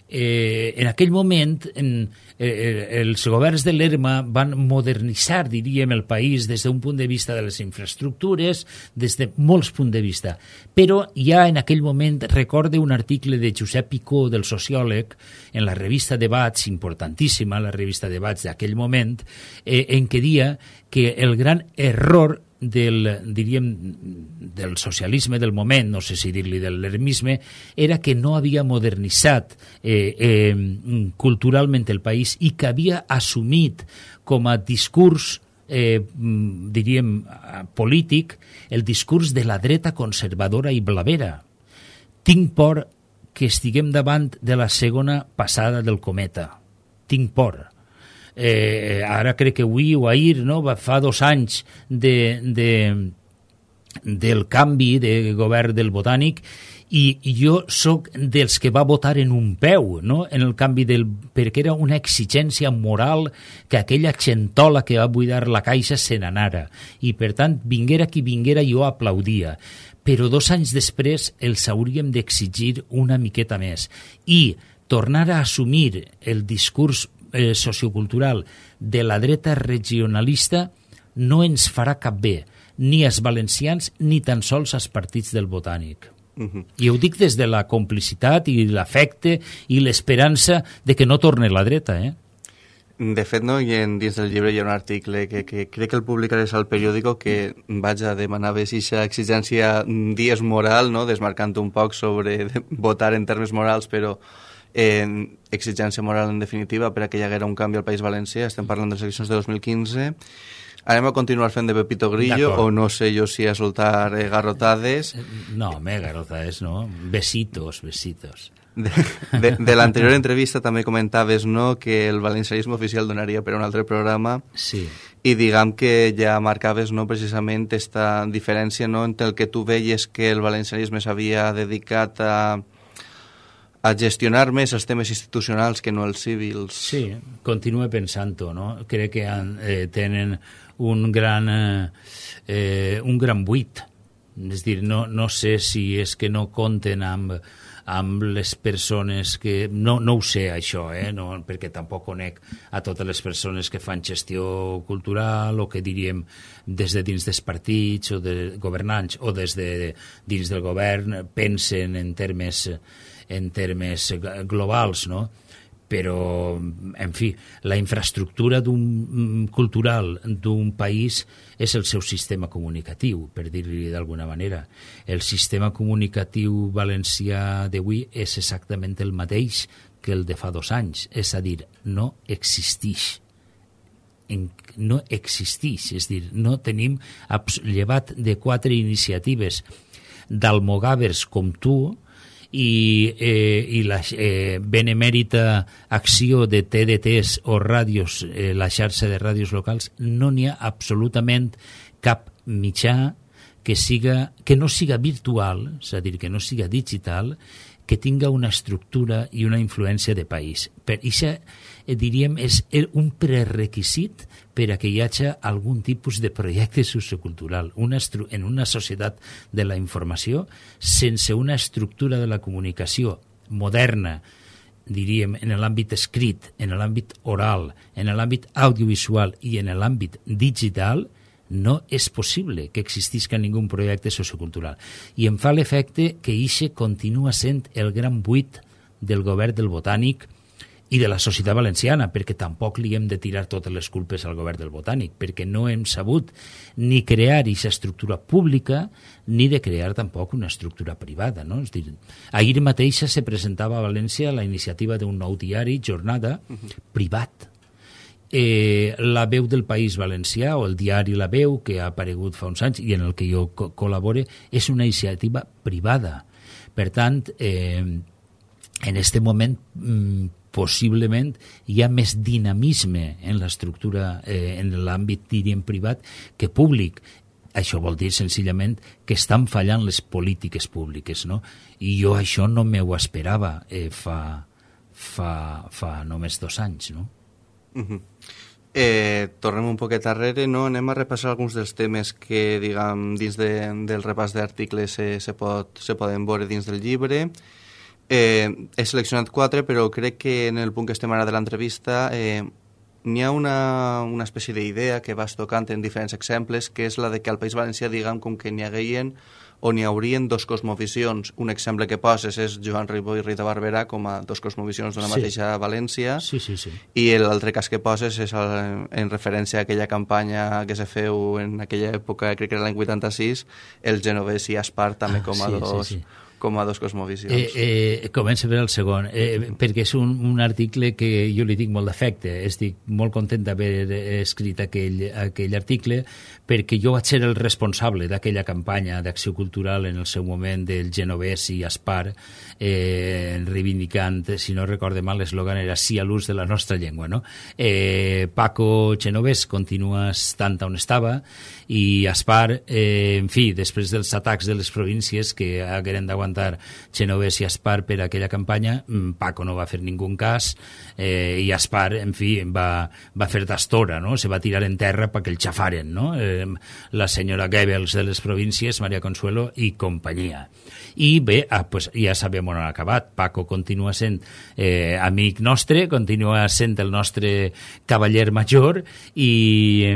Eh, en aquell moment en, eh, els governs de l'Erma van modernitzar, diríem, el país des d'un punt de vista de les infraestructures, des de molts punts de vista. Però ja en aquell moment recorde un article de Josep Picó, del sociòleg, en la revista Debats, importantíssima, la revista Debats d'aquell moment, eh, en què dia que el gran error del, diríem, del socialisme del moment, no sé si dir-li del lermisme, era que no havia modernitzat eh, eh, culturalment el país i que havia assumit com a discurs, eh, diríem, polític, el discurs de la dreta conservadora i blavera. Tinc por que estiguem davant de la segona passada del cometa. Tinc por. Eh, ara crec que avui o ahir, no? Fa dos anys de, de, del canvi de govern del Botànic i, i jo sóc dels que va votar en un peu, no? En el canvi del... perquè era una exigència moral que aquella xentola que va buidar la caixa se n'anara i per tant vinguera qui vinguera jo aplaudia, però dos anys després els hauríem d'exigir una miqueta més i tornar a assumir el discurs Eh, sociocultural de la dreta regionalista no ens farà cap bé, ni als valencians ni tan sols als partits del Botànic. Uh-huh. I ho dic des de la complicitat i l'afecte i l'esperança de que no torni la dreta, eh? De fet, no, i en, dins del llibre hi ha un article que, que crec que el publicaràs al periòdico que vaja, demanava aquesta exigència dies moral, no? Desmarcant un poc sobre votar en termes morals, però en exigència moral en definitiva per a que hi haguera un canvi al País Valencià. Estem parlant de les eleccions de dos mil quinze. Anem a continuar fent de Pepito Grillo o no sé jo si a soltar eh, garrotades. No, home, garrotades no. Besitos, besitos. De, de, de l'anterior entrevista també comentaves, no, que el valencianisme oficial donaria per a un altre programa. Sí. I diguem que ja marcaves, no, precisament esta diferència, no, entre el que tu veies que el valencianisme s'havia dedicat a a gestionar més els temes institucionals que no els civils. Sí, continue pensant-ho, no? Crec que han, eh, tenen un gran, eh, eh, un gran buit. És dir, no, no sé si és que no compten amb, amb les persones que... No, no ho sé, això, eh? No, perquè tampoc conec a totes les persones que fan gestió cultural o que diríem des de dins dels partits o de governants o des de dins del govern pensen en termes... en termes globals, no? Però, en fi, la infraestructura d'un, cultural d'un país és el seu sistema comunicatiu, per dir-li d'alguna manera. El sistema comunicatiu valencià d'avui és exactament el mateix que el de fa dos anys, és a dir, no existeix. En, no existeix, és dir, no tenim, llevat de quatre iniciatives d'almogàvers com tu, i, eh, i la eh, benemèrita acció de T D Ts o ràdios, eh, la xarxa de ràdios locals, no n'hi ha absolutament cap mitjà que, siga, que no siga virtual, és a dir, que no siga digital, que tinga una estructura i una influència de país. Per això, eh, diríem, és un prerequisit per a que hi hagi algun tipus de projecte sociocultural. Una en una societat de la informació, sense una estructura de la comunicació moderna, diríem, en l'àmbit escrit, en l'àmbit oral, en l'àmbit audiovisual i en l'àmbit digital, no és possible que existisca ningú projecte sociocultural. I em fa l'efecte que ixe continua sent el gran buit del govern del Botànic i de la societat valenciana, perquè tampoc li hem de tirar totes les culpes al govern del Botànic, perquè no hem sabut ni crear aquesta estructura pública ni de crear tampoc una estructura privada, no? És dir, ahir mateixa se presentava a València la iniciativa d'un nou diari, Jornada, uh-huh. privat. Eh, la Veu del País Valencià, o el diari La Veu, que ha aparegut fa uns anys i en el que jo co- col·labore, és una iniciativa privada. Per tant, eh, en aquest moment, mm, possiblement hi ha més dinamisme en l'estructura, eh, en l'àmbit, diríem, privat que públic. Això vol dir, senzillament, que estan fallant les polítiques públiques, no? I jo això no m'ho esperava eh, fa, fa, fa només dos anys, no? Uh-huh. Eh, tornem un poquet darrere, no? Anem a repassar alguns dels temes que, diguem, dins de, del repàs d'articles se, se, pot, se poden veure dins del llibre. Eh, he seleccionat quatre, però crec que en el punt que estem ara de l'entrevista eh, n'hi ha una, una espècie d'idea que vas tocant en diferents exemples, que és la de que al País Valencià, diguem, com que n'hi hagueien o n'hi haurien dos cosmovisions. Un exemple que poses és Joan Ribó i Rita Barberà com a dos cosmovisions d'una Sí. mateixa València, Sí, sí, sí. i l'altre cas que poses és el, en referència a aquella campanya que se feu en aquella època, crec que era l'any vuitanta-sis, el genovès i Aspar també Ah, com a sí, dos... sí, sí. com a dos cosmovisions. Eh, eh, comença per el segon, eh, perquè és un, un article que jo li tinc molt d'afecte. Estic molt content d'haver escrit aquell, aquell article, perquè jo vaig ser el responsable d'aquella campanya d'acció cultural en el seu moment del genovès i Aspar, eh, reivindicant, si no recorde mal, l'eslògan era sí a l'ús de la nostra llengua. No? Eh, Paco Genovès continua estant on estava, i Aspar, eh, en fi, després dels atacs de les províncies que hagueren d'aguantar Genovès i Aspar per aquella campanya, Paco no va fer ningú cas, eh, i Aspar, en fi, va, va fer d'astora, no? Se va tirar en terra perquè el xafaren, no? Eh, la senyora Goebbels de les províncies, Maria Consuelo i companyia. I bé, ah, pues ja sabem on ha acabat. Paco continua sent eh, amic nostre, continua sent el nostre cavaller major, i,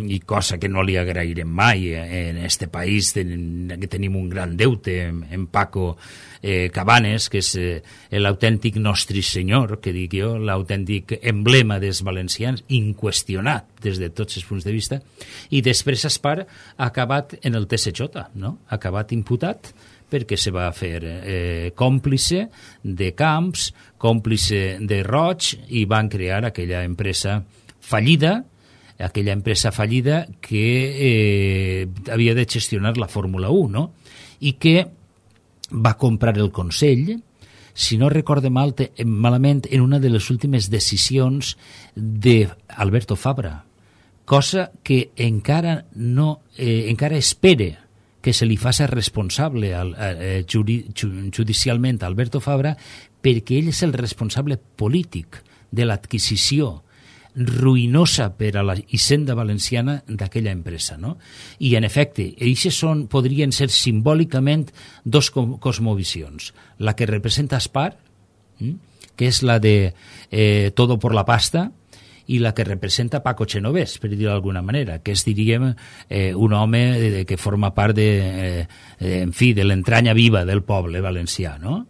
i cosa que no li agrairem mai en este país, ten, que tenim un gran deute en, en Paco eh, Cabanes, que és eh, l'autèntic nostre senyor, que dic jo, l'autèntic emblema dels valencians, inqüestionat des de tots els punts de vista, i després Aspar ha acabat en el T S J, no? Ha acabat imputat perquè se va fer eh, còmplice de Camps, còmplice de Roig, i van crear aquella empresa fallida, aquella empresa fallida que eh, havia de gestionar la Fórmula u, no? I que va comprar el Consell, si no recorde mal, te, malament, en una de les últimes decisions d'Alberto Fabra, cosa que encara no eh, encara espere que se li faci responsable al, eh, juri, judicialment a Alberto Fabra, perquè ell és el responsable polític de l'adquisició ruïnosa per a la hisenda valenciana d'aquella empresa, no? I, en efecte, eixes són, podrien ser simbòlicament dos cosmovisions. La que representa Aspar, que és la de eh, todo por la pasta, i la que representa Paco Genovès, per dir-ho d'alguna manera, que és, diríem, eh, un home de, de, que forma part de, eh, en fi, de l'entranya viva del poble valencià, no?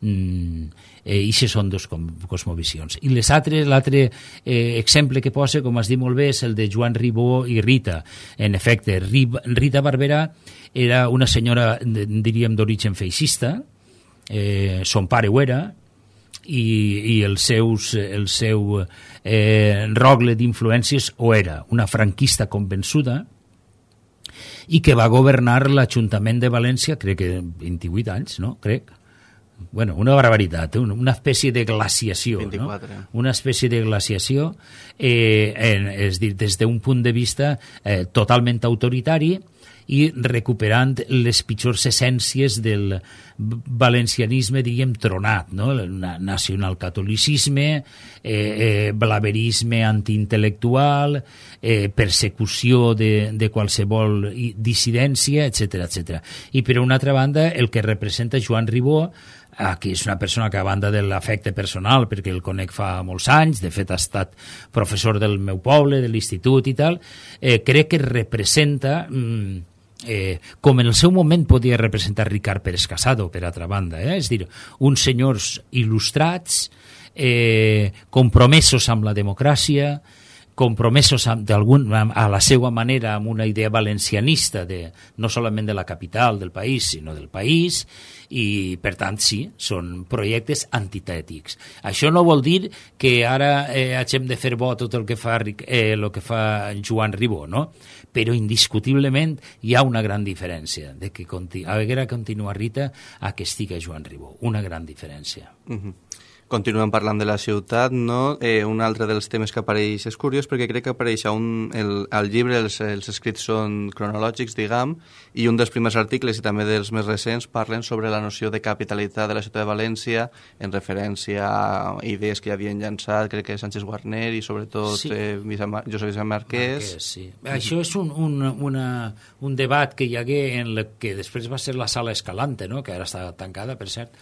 Mm, eh, Ixes són dos cosmovisions. I les altres, l'altre eh, exemple que posa, com has dit molt bé, és el de Joan Ribó i Rita. En efecte, Rita Barberà era una senyora, diríem, d'origen feixista, eh, son pare ho era, i, i el, seus, el seu eh, rogle d'influències ho era, una franquista convençuda, i que va governar l'Ajuntament de València, crec que vint-i-vuit anys, no? Crec. Bueno, una barbaritat, una espècie de glaciació, vint-i-quatre. No? Una espècie de glaciació, eh, en, és dir, des d'un punt de vista eh, totalment autoritari, i recuperant les pitjors essències del valencianisme, diríem, tronat, no? El nacionalcatolicisme, eh, eh, blaverisme antiintel·lectual, eh, persecució de, de qualsevol dissidència, etcètera, etcètera. I, per una altra banda, el que representa Joan Ribó, ah, que és una persona que, a banda de l'afecte personal, perquè el conec fa molts anys, de fet ha estat professor del meu poble, de l'institut i tal, eh, crec que representa... Mm, Eh, com en el seu moment podia representar Ricard Pérez Casado, per altra banda, eh? És dir, uns senyors il·lustrats, eh, compromesos amb la democràcia, compromesos amb, a la seva manera amb una idea valencianista, de, no solament de la capital del país, sinó del país, i per tant sí, són projectes antitètics. Això no vol dir que ara eh, hagem de fer bo tot el que fa, eh, el que fa Joan Ribó, no? Però indiscutiblement hi ha una gran diferència de que continu- haguera continuar Rita a que estiga Joan Ribó, una gran diferència. Uh-huh. Continuem parlant de la ciutat, no? Eh, un altre dels temes que apareix és curiós perquè crec que apareix un, el, al llibre, els, els escrits són cronològics, diguem, i un dels primers articles i també dels més recents parlen sobre la noció de capitalitat de la ciutat de València en referència a idees que ja havien llançat, crec que Sánchez Guarner i sobretot sí. eh, Josep Vicent Marquès. Marquès sí. Això és un, un, una, un debat que hi hagué en el que després va ser la Sala Escalante, no? Que ara està tancada, per cert,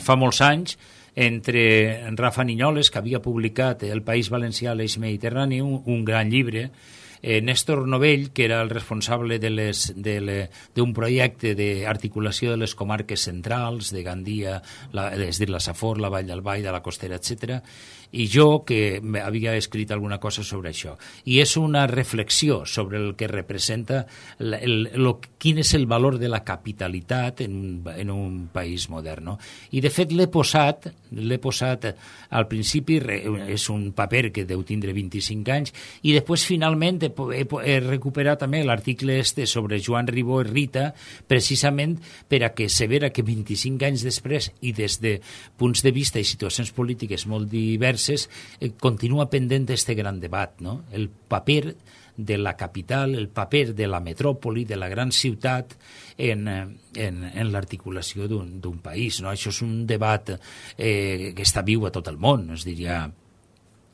fa molts anys, entre Rafa Niñoles, que havia publicat El País Valencià, l'Eix Mediterrani, un, un gran llibre, eh, Néstor Novell, que era el responsable de les, de le, d'un projecte d'articulació de les comarques centrals, de Gandia, la, és dir, la Safor, la Vall del Vall, de la Costera, etcètera, i jo, que havia escrit alguna cosa sobre això. I és una reflexió sobre el que representa el, el, el, quin és el valor de la capitalitat en un, en un país modern. No? I, de fet, l'he posat, l'he posat al principi, és un paper que deu tindre vint-i-cinc anys, i després, finalment, he, he, he recuperat també l'article este sobre Joan Ribó i Rita, precisament per a que se vera que vint-i-cinc anys després, i des de punts de vista i situacions polítiques molt diverses, Eh, continua pendent este gran debat, no? El paper de la capital, el paper de la metròpoli, de la gran ciutat en, en, en l'articulació d'un, d'un país. No? Això és un debat eh, que està viu a tot el món, es diria.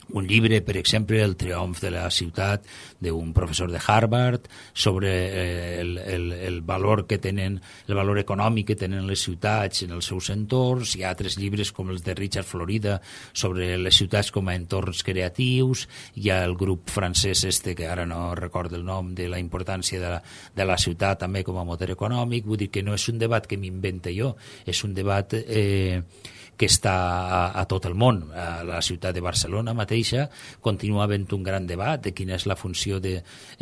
Un llibre, per exemple, El triomf de la ciutat, d'un professor de Harvard, sobre eh, el, el, el valor que tenen, el valor econòmic que tenen les ciutats en els seus entorns. Hi ha altres llibres com els de Richard Florida sobre les ciutats com a entorns creatius. Hi ha el grup francès este, que ara no recordo el nom, de la importància de la, de la ciutat també com a motor econòmic. Vull dir que no és un debat que m'invente jo, és un debat eh, que està a, a tot el món. A la ciutat de Barcelona mateixa continua havent un gran debat de quina és la funció de,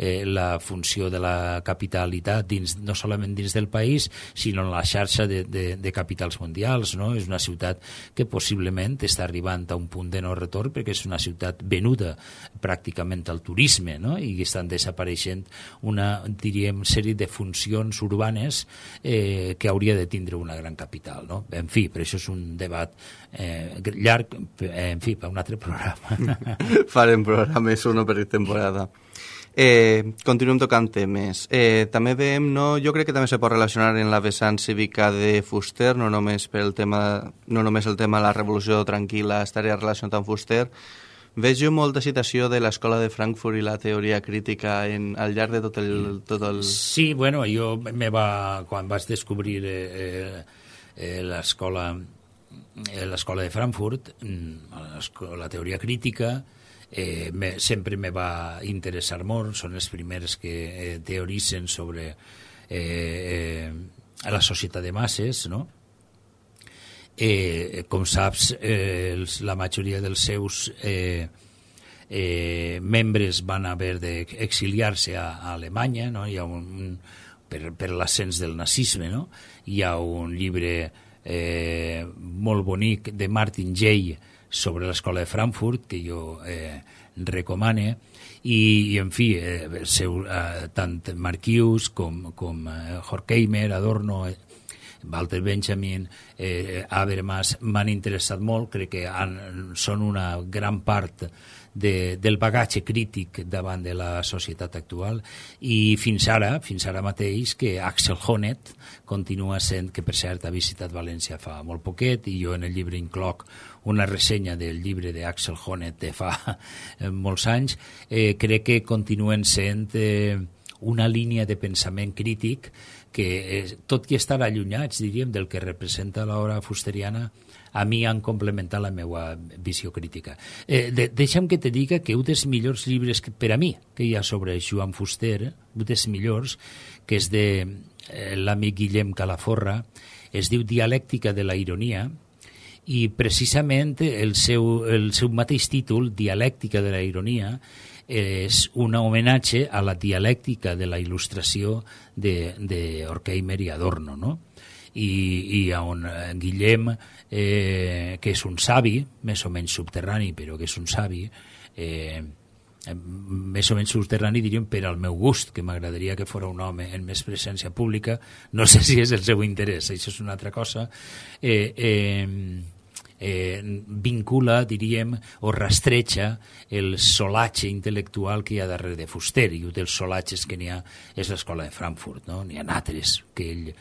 eh, la funció de la capitalitat dins, no solament dins del país, sinó en la xarxa de, de, de capitals mundials. No? És una ciutat que possiblement està arribant a un punt de no retorn perquè és una ciutat venuda pràcticament al turisme, no? I estan desapareixent una, diríem, sèrie de funcions urbanes eh, que hauria de tindre una gran capital. No? En fi, per això és un debat Eh, llarg, eh, en fi, per un altre programa. Farem programes uno per temporada. Eh, continuem tocant temes. Eh, també veiem, no, jo crec que també se pot relacionar en la vessant cívica de Fuster, no només pel tema, no només el tema de la revolució tranquil·la estaria relacionat amb Fuster. Veig molta citació de l'escola de Frankfurt i la teoria crítica en, al llarg de tot el, tot el... Sí, bueno, jo me va, quan vaig descobrir eh, eh, l'escola l'escola de Frankfurt, la teoria crítica, eh, me, sempre me va interessar molt. Són els primers que eh, teoritzen sobre eh, eh, la societat de masses, no? Eh, com saps, eh, els, la majoria dels seus eh, eh, membres van haver d'exiliar-se a, a Alemanya, no? Hi ha un, un, per, per l'ascens del nazisme, no? Hi ha un llibre Eh, molt bonic de Martin Jay sobre l'escola de Frankfurt que jo eh, recomane i, i en fi eh, seu, eh, tant Marcuse com, com eh, Horkheimer, Adorno, eh, Walter Benjamin, eh, Habermas m'han interessat molt. Crec que han, són una gran part de, del bagatge crític davant de la societat actual, i fins ara, fins ara mateix, que Axel Honneth continua sent, que per cert ha visitat València fa molt poquet, i jo en el llibre incloc una ressenya del llibre d'Axel Honneth de fa eh, molts anys. Eh, crec que continuen sent eh, una línia de pensament crític que, eh, tot i estar allunyats, diríem, del que representa l'obra fusteriana, a mi han complementat la meva visió crítica. Eh, de, deixa'm que te diga que un dels millors llibres que, per a mi que hi ha sobre Joan Fuster, un dels millors, que és de eh, l'amic Guillem Calaforra, es diu Dialèctica de la ironia, i precisament el seu, el seu mateix títol, Dialèctica de la ironia, és un homenatge a la dialèctica de la il·lustració de, de Horkheimer i Adorno, no? I, i on Guillem, eh, que és un savi, més o menys subterrani, però que és un savi, eh, més o menys subterrani, diríem, per al meu gust, que m'agradaria que fos un home en més presència pública. No sé si és el seu interès, això és una altra cosa. Eh, eh, eh, vincula, diríem, o rastreja el solatge intel·lectual que hi ha darrere de Fuster, i un dels solatges que n'hi ha és l'Escola de Frankfurt, no? N'hi ha altres que ell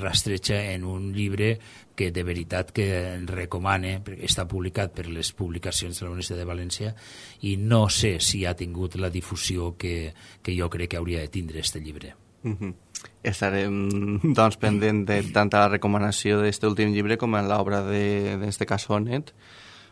rastreja en un llibre que de veritat que recomane, perquè està publicat per les publicacions de la Universitat de València, i no sé si ha tingut la difusió que, que jo crec que hauria de tindre aquest llibre. Mm-hmm. Estarem doncs pendent de tant a la recomanació d'aquest últim llibre com en l'obra d'este Cassonet.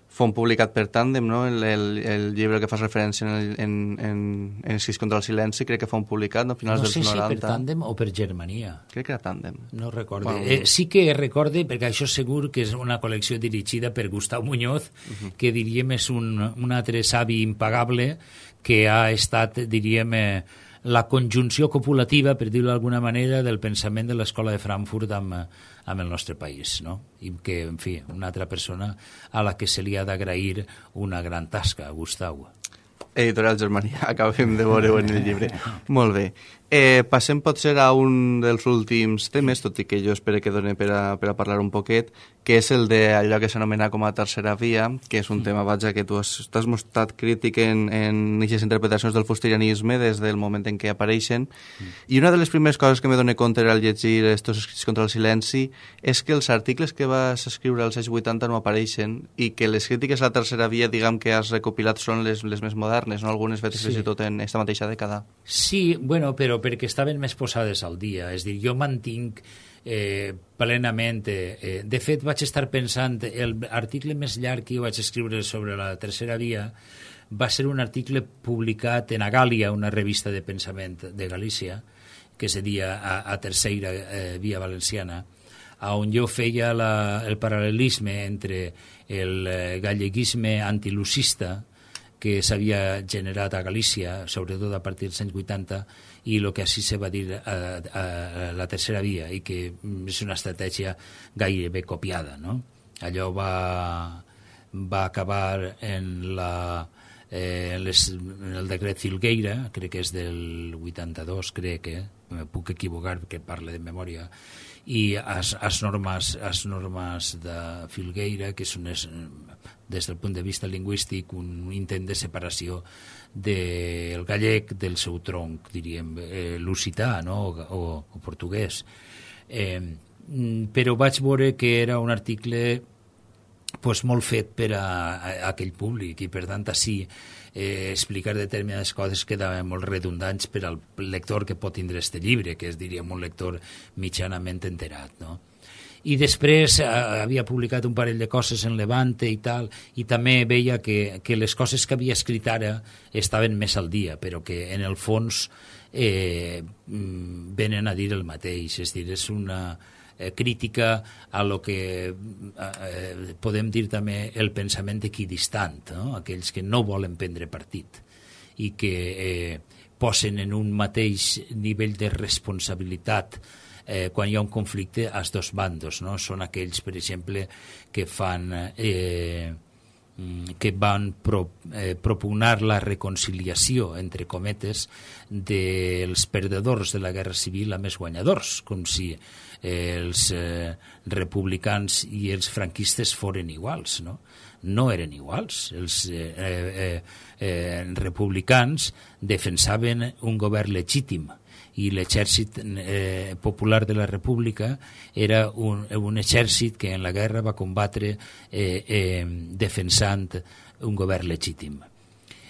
Fon publicat per Tàndem, no? El, el, el llibre que fas referència en, el, en, en, en Escrits contra el silenci, crec que fon publicat no? A finals no dels sé noranta. si per Tàndem o per Germania. Crec que era Tàndem. No recordo. Bueno, eh, sí que recorde, perquè això segur que és una col·lecció dirigida per Gustau Muñoz, uh-huh. que diríem és un, un altre savi impagable que ha estat, diríem, eh, la conjunció copulativa, per dir-ho d'alguna manera, del pensament de l'Escola de Frankfurt amb, amb el nostre país, no? I que, en fi, una altra persona a la que se li ha d'agrair una gran tasca, Gustau. Editorial Germania, acabem de veure-ho en el llibre. Molt bé. Eh, passem potser a un dels últims temes, tot i que jo espero que doni per a, per a parlar un poquet, que és el d'allò que s'anomena com a tercera via, que és un mm. tema, vaja, que tu has, t'has mostrat crític en, en aquestes interpretacions del fusterianisme des del moment en què apareixen. Mm. I una de les primeres coses que me doné compte al llegir estos escrits contra el silenci és que els articles que vas escriure als anys vuitanta no apareixen i que les crítiques a la tercera via, diguem que has recopilat, són les, les més modernes, no? Algunes veces sí. Fins i tot en esta mateixa dècada. Sí, bueno, però perquè estaven més posades al dia. És dir, jo mantinc eh, plenament... Eh, de fet, vaig estar pensant, l'article més llarg que jo vaig escriure sobre la tercera via va ser un article publicat en Agàlia, una revista de pensament de Galícia, que seria a, a Tercera eh, Via Valenciana, on jo feia la, el paral·lelisme entre el eh, galleguisme antilucista que s'havia generat a Galícia, sobretot a partir dels anys vuitanta, i el que així se va dir a, a, a la tercera via, i que és una estratègia gairebé copiada, no? Allò va, va acabar en, la, eh, les, en el decret Filgueira, crec que és del vuitanta-dos, crec que, me puc equivocar perquè parle de memòria, i as, as, normes, as normes de Filgueira, que són es, des del punt de vista lingüístic un intent de separació del gallec del seu tronc, diríem, eh, lusità, no? o, o, o portuguès. Eh, però vaig veure que era un article pues, molt fet per a, a, a aquell públic, i per tant així eh, explicar determinades coses quedaven molt redundants per al lector que pot tindre este llibre, que és, diríem, un lector mitjanament enterat, no? I després eh, havia publicat un parell de coses en Levante i tal, i també veia que, que les coses que havia escrit ara estaven més al dia, però que en el fons eh, venen a dir el mateix, és dir, és una eh, crítica a lo que eh, podem dir també el pensament equidistant, no? Aquells que no volen prendre partit i que eh, posen en un mateix nivell de responsabilitat Eh, quan hi ha un conflicte als dos bandos, no? Són aquells, per exemple, que fan eh, que van pro, eh, propugnar la reconciliació, entre cometes, dels perdedors de la guerra civil amb els guanyadors, com si eh, els eh, republicans i els franquistes foren iguals, no? No eren iguals. Els eh, eh, eh, republicans defensaven un govern legítim, i l'exèrcit eh, popular de la República era un, un exèrcit que en la guerra va combatre eh, eh, defensant un govern legítim.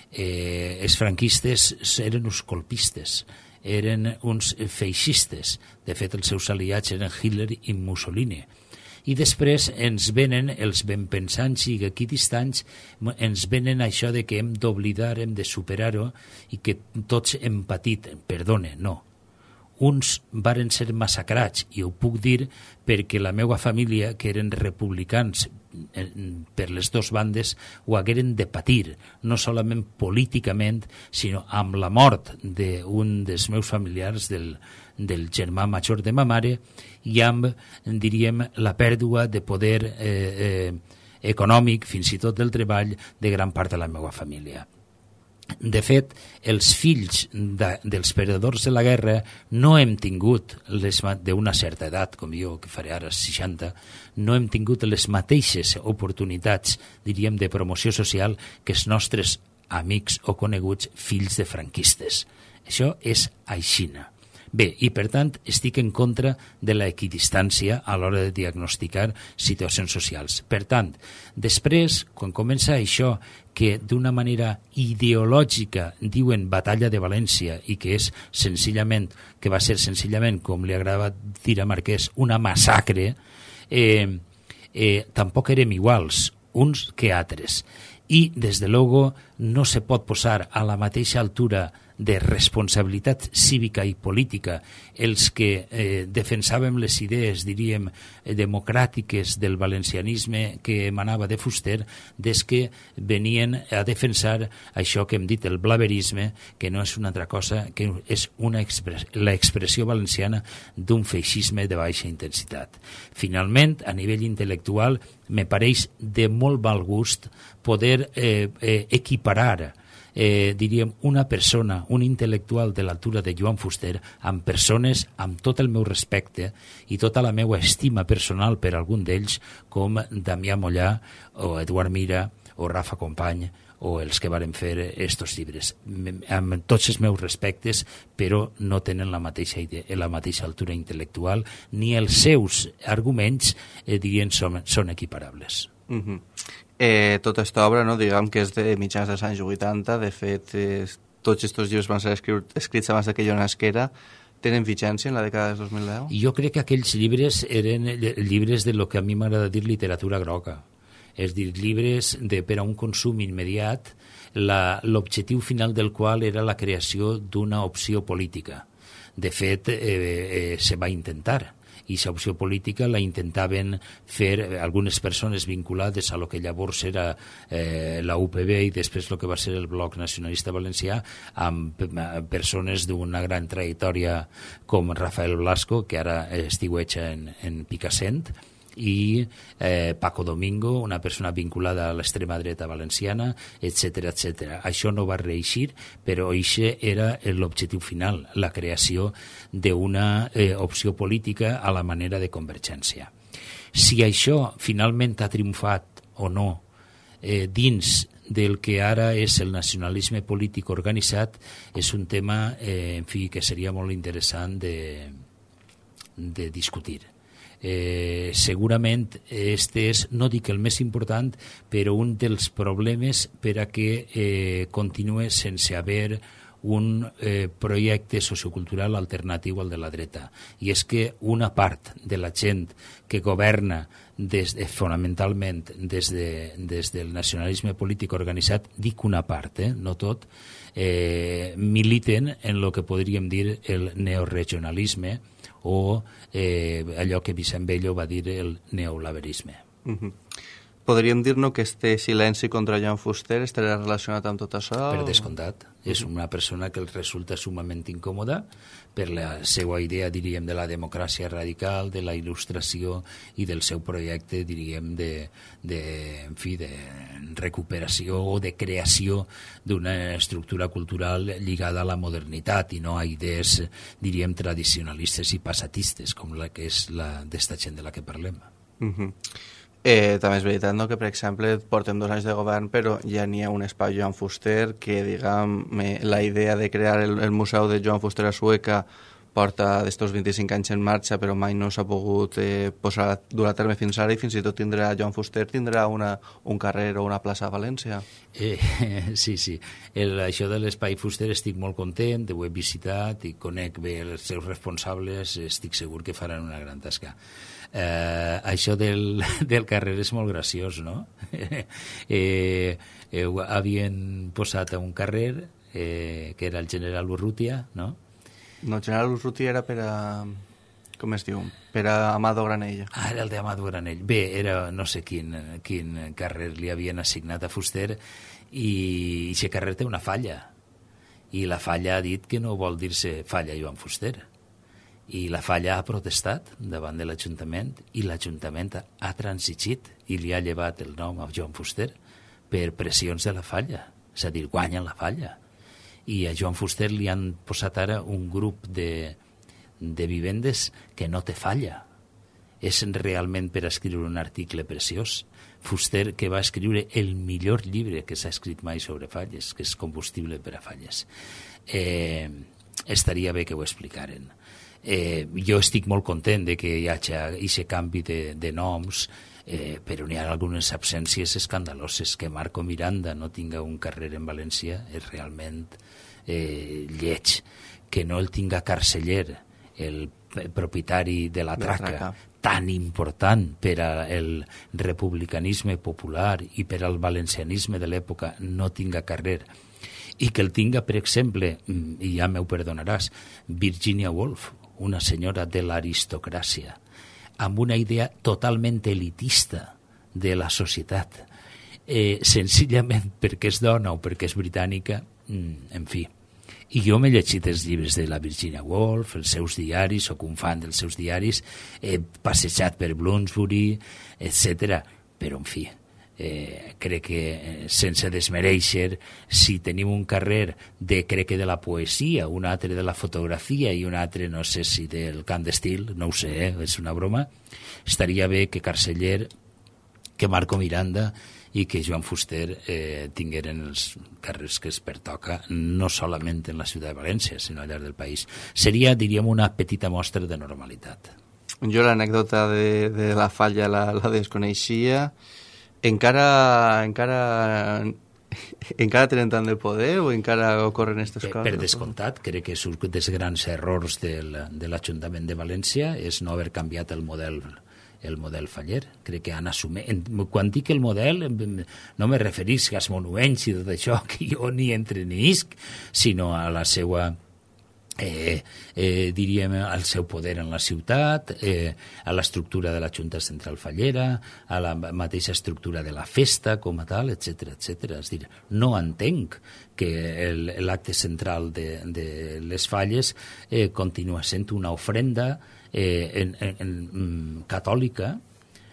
Eh, els franquistes eren uns colpistes, eren uns feixistes. De fet, els seus aliats eren Hitler i Mussolini. I després ens venen els benpensants i equidistants, ens venen això de que hem d'oblidar, hem de superar-ho i que tots hem patit. Perdone, no. Uns varen ser massacrats, i ho puc dir perquè la meva família, que eren republicans per les dues bandes, ho hagueren de patir, no solament políticament, sinó amb la mort d'un dels meus familiars, del, del germà major de ma mare, i amb, diríem, la pèrdua de poder eh, eh, econòmic, fins i tot del treball, de gran part de la meva família. De fet, els fills de, dels perdedors de la guerra no hem tingut, d'una certa edat, com jo, que faré ara seixanta, no hem tingut les mateixes oportunitats, diríem, de promoció social que els nostres amics o coneguts fills de franquistes. Això és aixina. Bé, i per tant estic en contra de la equidistància a l'hora de diagnosticar situacions socials. Per tant, després, quan comença això que d'una manera ideològica diuen batalla de València i que és senzillament, que va ser senzillament, com li agrada dir a Marquès, una massacre, eh, eh, tampoc érem iguals uns que altres. I, des de luego, no se pot posar a la mateixa altura de responsabilitat cívica i política els que eh, defensàvem les idees, diríem, eh, democràtiques del valencianisme que emanava de Fuster, des que venien a defensar això que hem dit, el blaverisme, que no és una altra cosa que és una expres la expressió valenciana d'un feixisme de baixa intensitat. Finalment, a nivell intel·lectual, me pareix de molt mal gust poder eh, eh, equiparar Eh, diríem, una persona, un intel·lectual de l'altura de Joan Fuster, amb persones amb tot el meu respecte i tota la meva estima personal per algun d'ells, com Damià Mollà o Eduard Mira o Rafa Company o els que varen fer estos llibres. Amb tots els meus respectes, però no tenen la mateixa idea, la mateixa altura intel·lectual, ni els seus arguments, eh, dirien, són, són equiparables. Mm-hmm. Eh, tota aquesta obra, no, diguem que és de mitjans dels anys vuitanta, de fet, eh, tots aquests llibres van ser escrits, escrits abans que jo nasquera, tenen vigència en la dècada del dos mil deu? Jo crec que aquells llibres eren llibres de lo que a mi m'agrada dir literatura groga, és dir, llibres de, per a un consum immediat, l'objectiu final del qual era la creació d'una opció política. De fet, eh, eh, se va intentar, i aquesta opció política la intentaven fer algunes persones vinculades a lo que llavors era eh, la U P B i després el que va ser el Bloc Nacionalista Valencià, amb persones d'una gran trajectòria com Rafael Blasco, que ara estiueja en, en Picassent, i eh, Paco Domingo, una persona vinculada a l'extrema dreta valenciana, etcètera, etcètera. Això no va reeixir, però això era l'objectiu final, la creació d'una eh, opció política a la manera de Convergència. Si això finalment ha triomfat o no eh, dins del que ara és el nacionalisme polític organitzat, és un tema eh, en fi, que seria molt interessant de, de discutir. Eh, segurament este és, no dic el més important, però un dels problemes per a que eh, continue sense haver un eh, projecte sociocultural alternatiu al de la dreta. I és que una part de la gent que governa des de, fonamentalment des, de, des del nacionalisme polític organitzat, dic una part, eh, no tot, eh, militen en el que podríem dir el neoregionalisme, o eh, allò que Vicent Bello va dir el neolaverisme. Uh-huh. Podríem dir-nos que este silenci contra Joan Fuster estarà relacionat amb tot això? Per descomptat. Uh-huh. És una persona que els resulta sumament incòmoda per la seva idea, diríem, de la democràcia radical, de la il·lustració i del seu projecte, diríem, de, de, en fi, de recuperació o de creació d'una estructura cultural lligada a la modernitat i no a idees, diríem, tradicionalistes i passatistes, com la que és la d'esta gent de la que parlem. Uh-huh. Eh, també és veritat, no?, que, per exemple, portem dos anys de govern, però ja n'hi ha un espai Joan Fuster que, diguem, la idea de crear el, el Museu de Joan Fuster a Sueca porta d'estos vint-i-cinc anys en marxa, però mai no s'ha pogut eh, posar, dur a terme fins ara, i fins i tot tindrà, Joan Fuster tindrà una, un carrer o una plaça a València. Eh, sí, sí. El, això de l'Espai Fuster estic molt content, ho he visitat i conec bé els seus responsables, estic segur que faran una gran tasca. Eh, això del, del carrer és molt graciós, no? eh, eh, havien posat a un carrer eh, que era el general Urrutia, no? No, el general Urrutia era per a... com es diu? Per a Amado Granell. Ah, era el d'Amado Granell. Bé, era no sé quin, quin carrer li havien assignat a Fuster, i aquest carrer té una falla, i la falla ha dit que no vol dir-se falla Joan Fuster, i la falla ha protestat davant de l'Ajuntament, i l'Ajuntament ha transigit i li ha llevat el nom a Joan Fuster per pressions de la falla. és a dir, guanya la falla. I a Joan Fuster li han posat ara un grup de, de vivendes que no té falla. És realment per escriure un article preciós. Fuster, que va escriure el millor llibre que s'ha escrit mai sobre falles, que és Combustible per a falles. Eh, estaria bé que ho explicaren. Eh, jo estic molt content de que hi hagi aquest canvi de, de noms, eh, però n'hi ha algunes absències escandaloses. Que Marco Miranda no tinga un carrer en València és realment eh, lleig. Que no el tinga Carceller, el propietari de la Traca, tan important per al republicanisme popular i per al valencianisme de l'època, no tinga carrer. I que el tinga, per exemple, i ja m'ho perdonaràs, Virginia Woolf, una senyora de l'aristocràcia, amb una idea totalment elitista de la societat, eh, senzillament perquè és dona o perquè és britànica, en fi. I jo m'he llegit els llibres de la Virginia Woolf, els seus diaris, soc un fan dels seus diaris, he passejat per Bloomsbury, etcètera. Però, en fi, eh, crec que sense desmereixer, si tenim un carrer de, crec que de la poesia, un altre de la fotografia i un altre, no sé si del cant d'estil, no ho sé, eh, és una broma, estaria bé que Carceller, que Marco Miranda i que Joan Fuster eh, tingueren els carrers que es pertoca, no solament en la ciutat de València, sinó al llarg del país. Seria, diríem, una petita mostra de normalitat. Jo l'anècdota de, de la falla la, la desconeixia. Encara, encara, encara tenen tant de poder o encara ocorren aquestes per, coses? Per descomptat, crec que un dels grans errors del, de l'Ajuntament de València és no haver canviat el model el model faller. Crec que han assumit... Quan dic el model, no me referís als monuents i tot això, que jo ni entre ni isc, sinó a la seva... Eh, eh, diríem, al seu poder en la ciutat, eh, a l'estructura de la Junta Central Fallera, a la mateixa estructura de la festa com a tal, etcètera, etcètera. És dir, no entenc que l'acte central de, de les falles eh, continua sent una ofrenda eh, en, en, en, catòlica,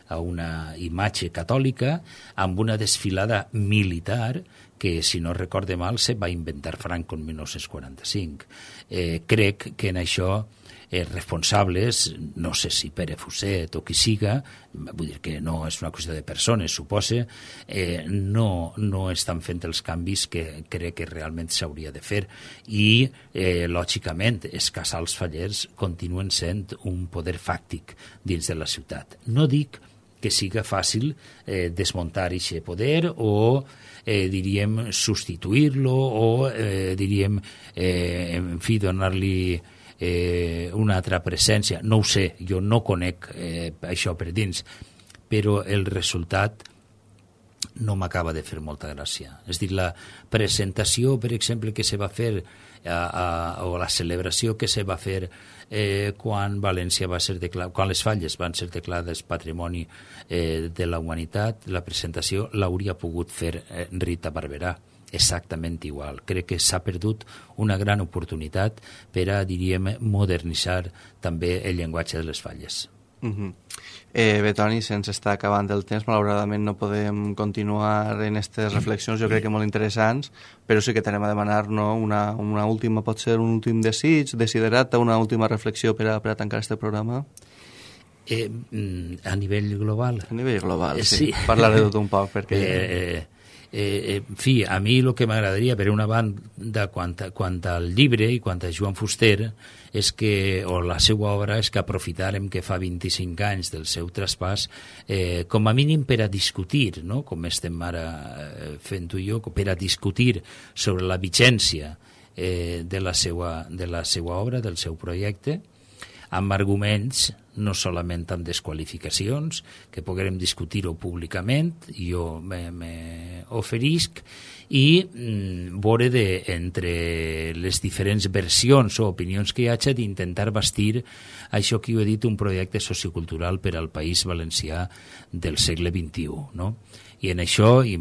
a una imatge catòlica, amb una desfilada militar que, si no recorde mal, se va inventar Franco en dinou quaranta-cinc. Eh, crec que en això eh, responsables, no sé si Pere Fuset o qui siga, vull dir que no és una qüestió de persones, supose, eh, no, no estan fent els canvis que crec que realment s'hauria de fer. I, eh, lògicament, els casals fallers continuen sent un poder fàctic dins de la ciutat. No dic que siga fàcil eh, desmuntar aquest poder o, eh, diríem, substituir-lo o, eh, diríem, eh, en fi, donar-li eh, una altra presència. No ho sé, jo no conec eh, això per dins, però el resultat no m'acaba de fer molta gràcia. És dir, la presentació, per exemple, que se va fer a, a, o la celebració que se va fer eh, quan València va ser declar... quan les falles van ser declarades patrimoni eh, de la humanitat, la presentació l'hauria pogut fer eh, Rita Barberà, exactament igual. Crec que s'ha perdut una gran oportunitat per a, diríem, modernitzar també el llenguatge de les falles. Uh-huh. eh, bé, Toni, se'ns està acabant el temps, malauradament no podem continuar en aquestes reflexions, jo crec que molt interessants, però sí que tenem a demanar, no, una, una última, pot ser un últim desig, desiderata, una última reflexió per a, per a tancar este programa. Eh, a nivell global? A nivell global, eh, sí. sí. Parlaré tot un poc, perquè... Eh, eh, Eh, en fi, a mi el que m'agradaria, per una banda, quant, a, quant al llibre i quant a Joan Fuster, és que, o la seva obra, és que aprofitarem que fa vint-i-cinc anys del seu traspàs, eh, com a mínim per a discutir, no? Com estem ara fent tu i jo, per a discutir sobre la vigència eh, de, la seva, de la seva obra, del seu projecte, amb arguments, no solament amb desqualificacions, que puguem discutir-ho públicament, jo me, me oferisc, i mm, veure de, entre les diferents versions o opinions que hi hagi, d'intentar bastir això que jo he dit, un projecte sociocultural per al País Valencià del segle vint-i-u, no? I en això, i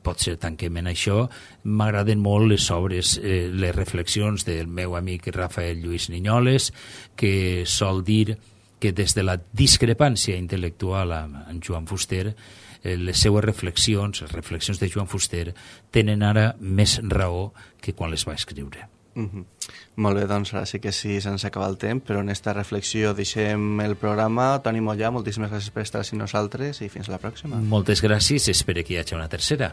potser tanquem en això, m'agraden molt les obres, eh, les reflexions del meu amic Rafael Lluís Niñoles, que sol dir que des de la discrepància intel·lectual amb, amb Joan Fuster, eh, les seues reflexions, les reflexions de Joan Fuster, tenen ara més raó que quan les va escriure. Mm-hmm. Molt bé, doncs ara sí que sí, se'ns acaba el temps, però en esta reflexió deixem el programa. Toni Mollà, moltíssimes gràcies per estar amb nosaltres i fins la pròxima. Moltes gràcies, espero que hi hagi una tercera.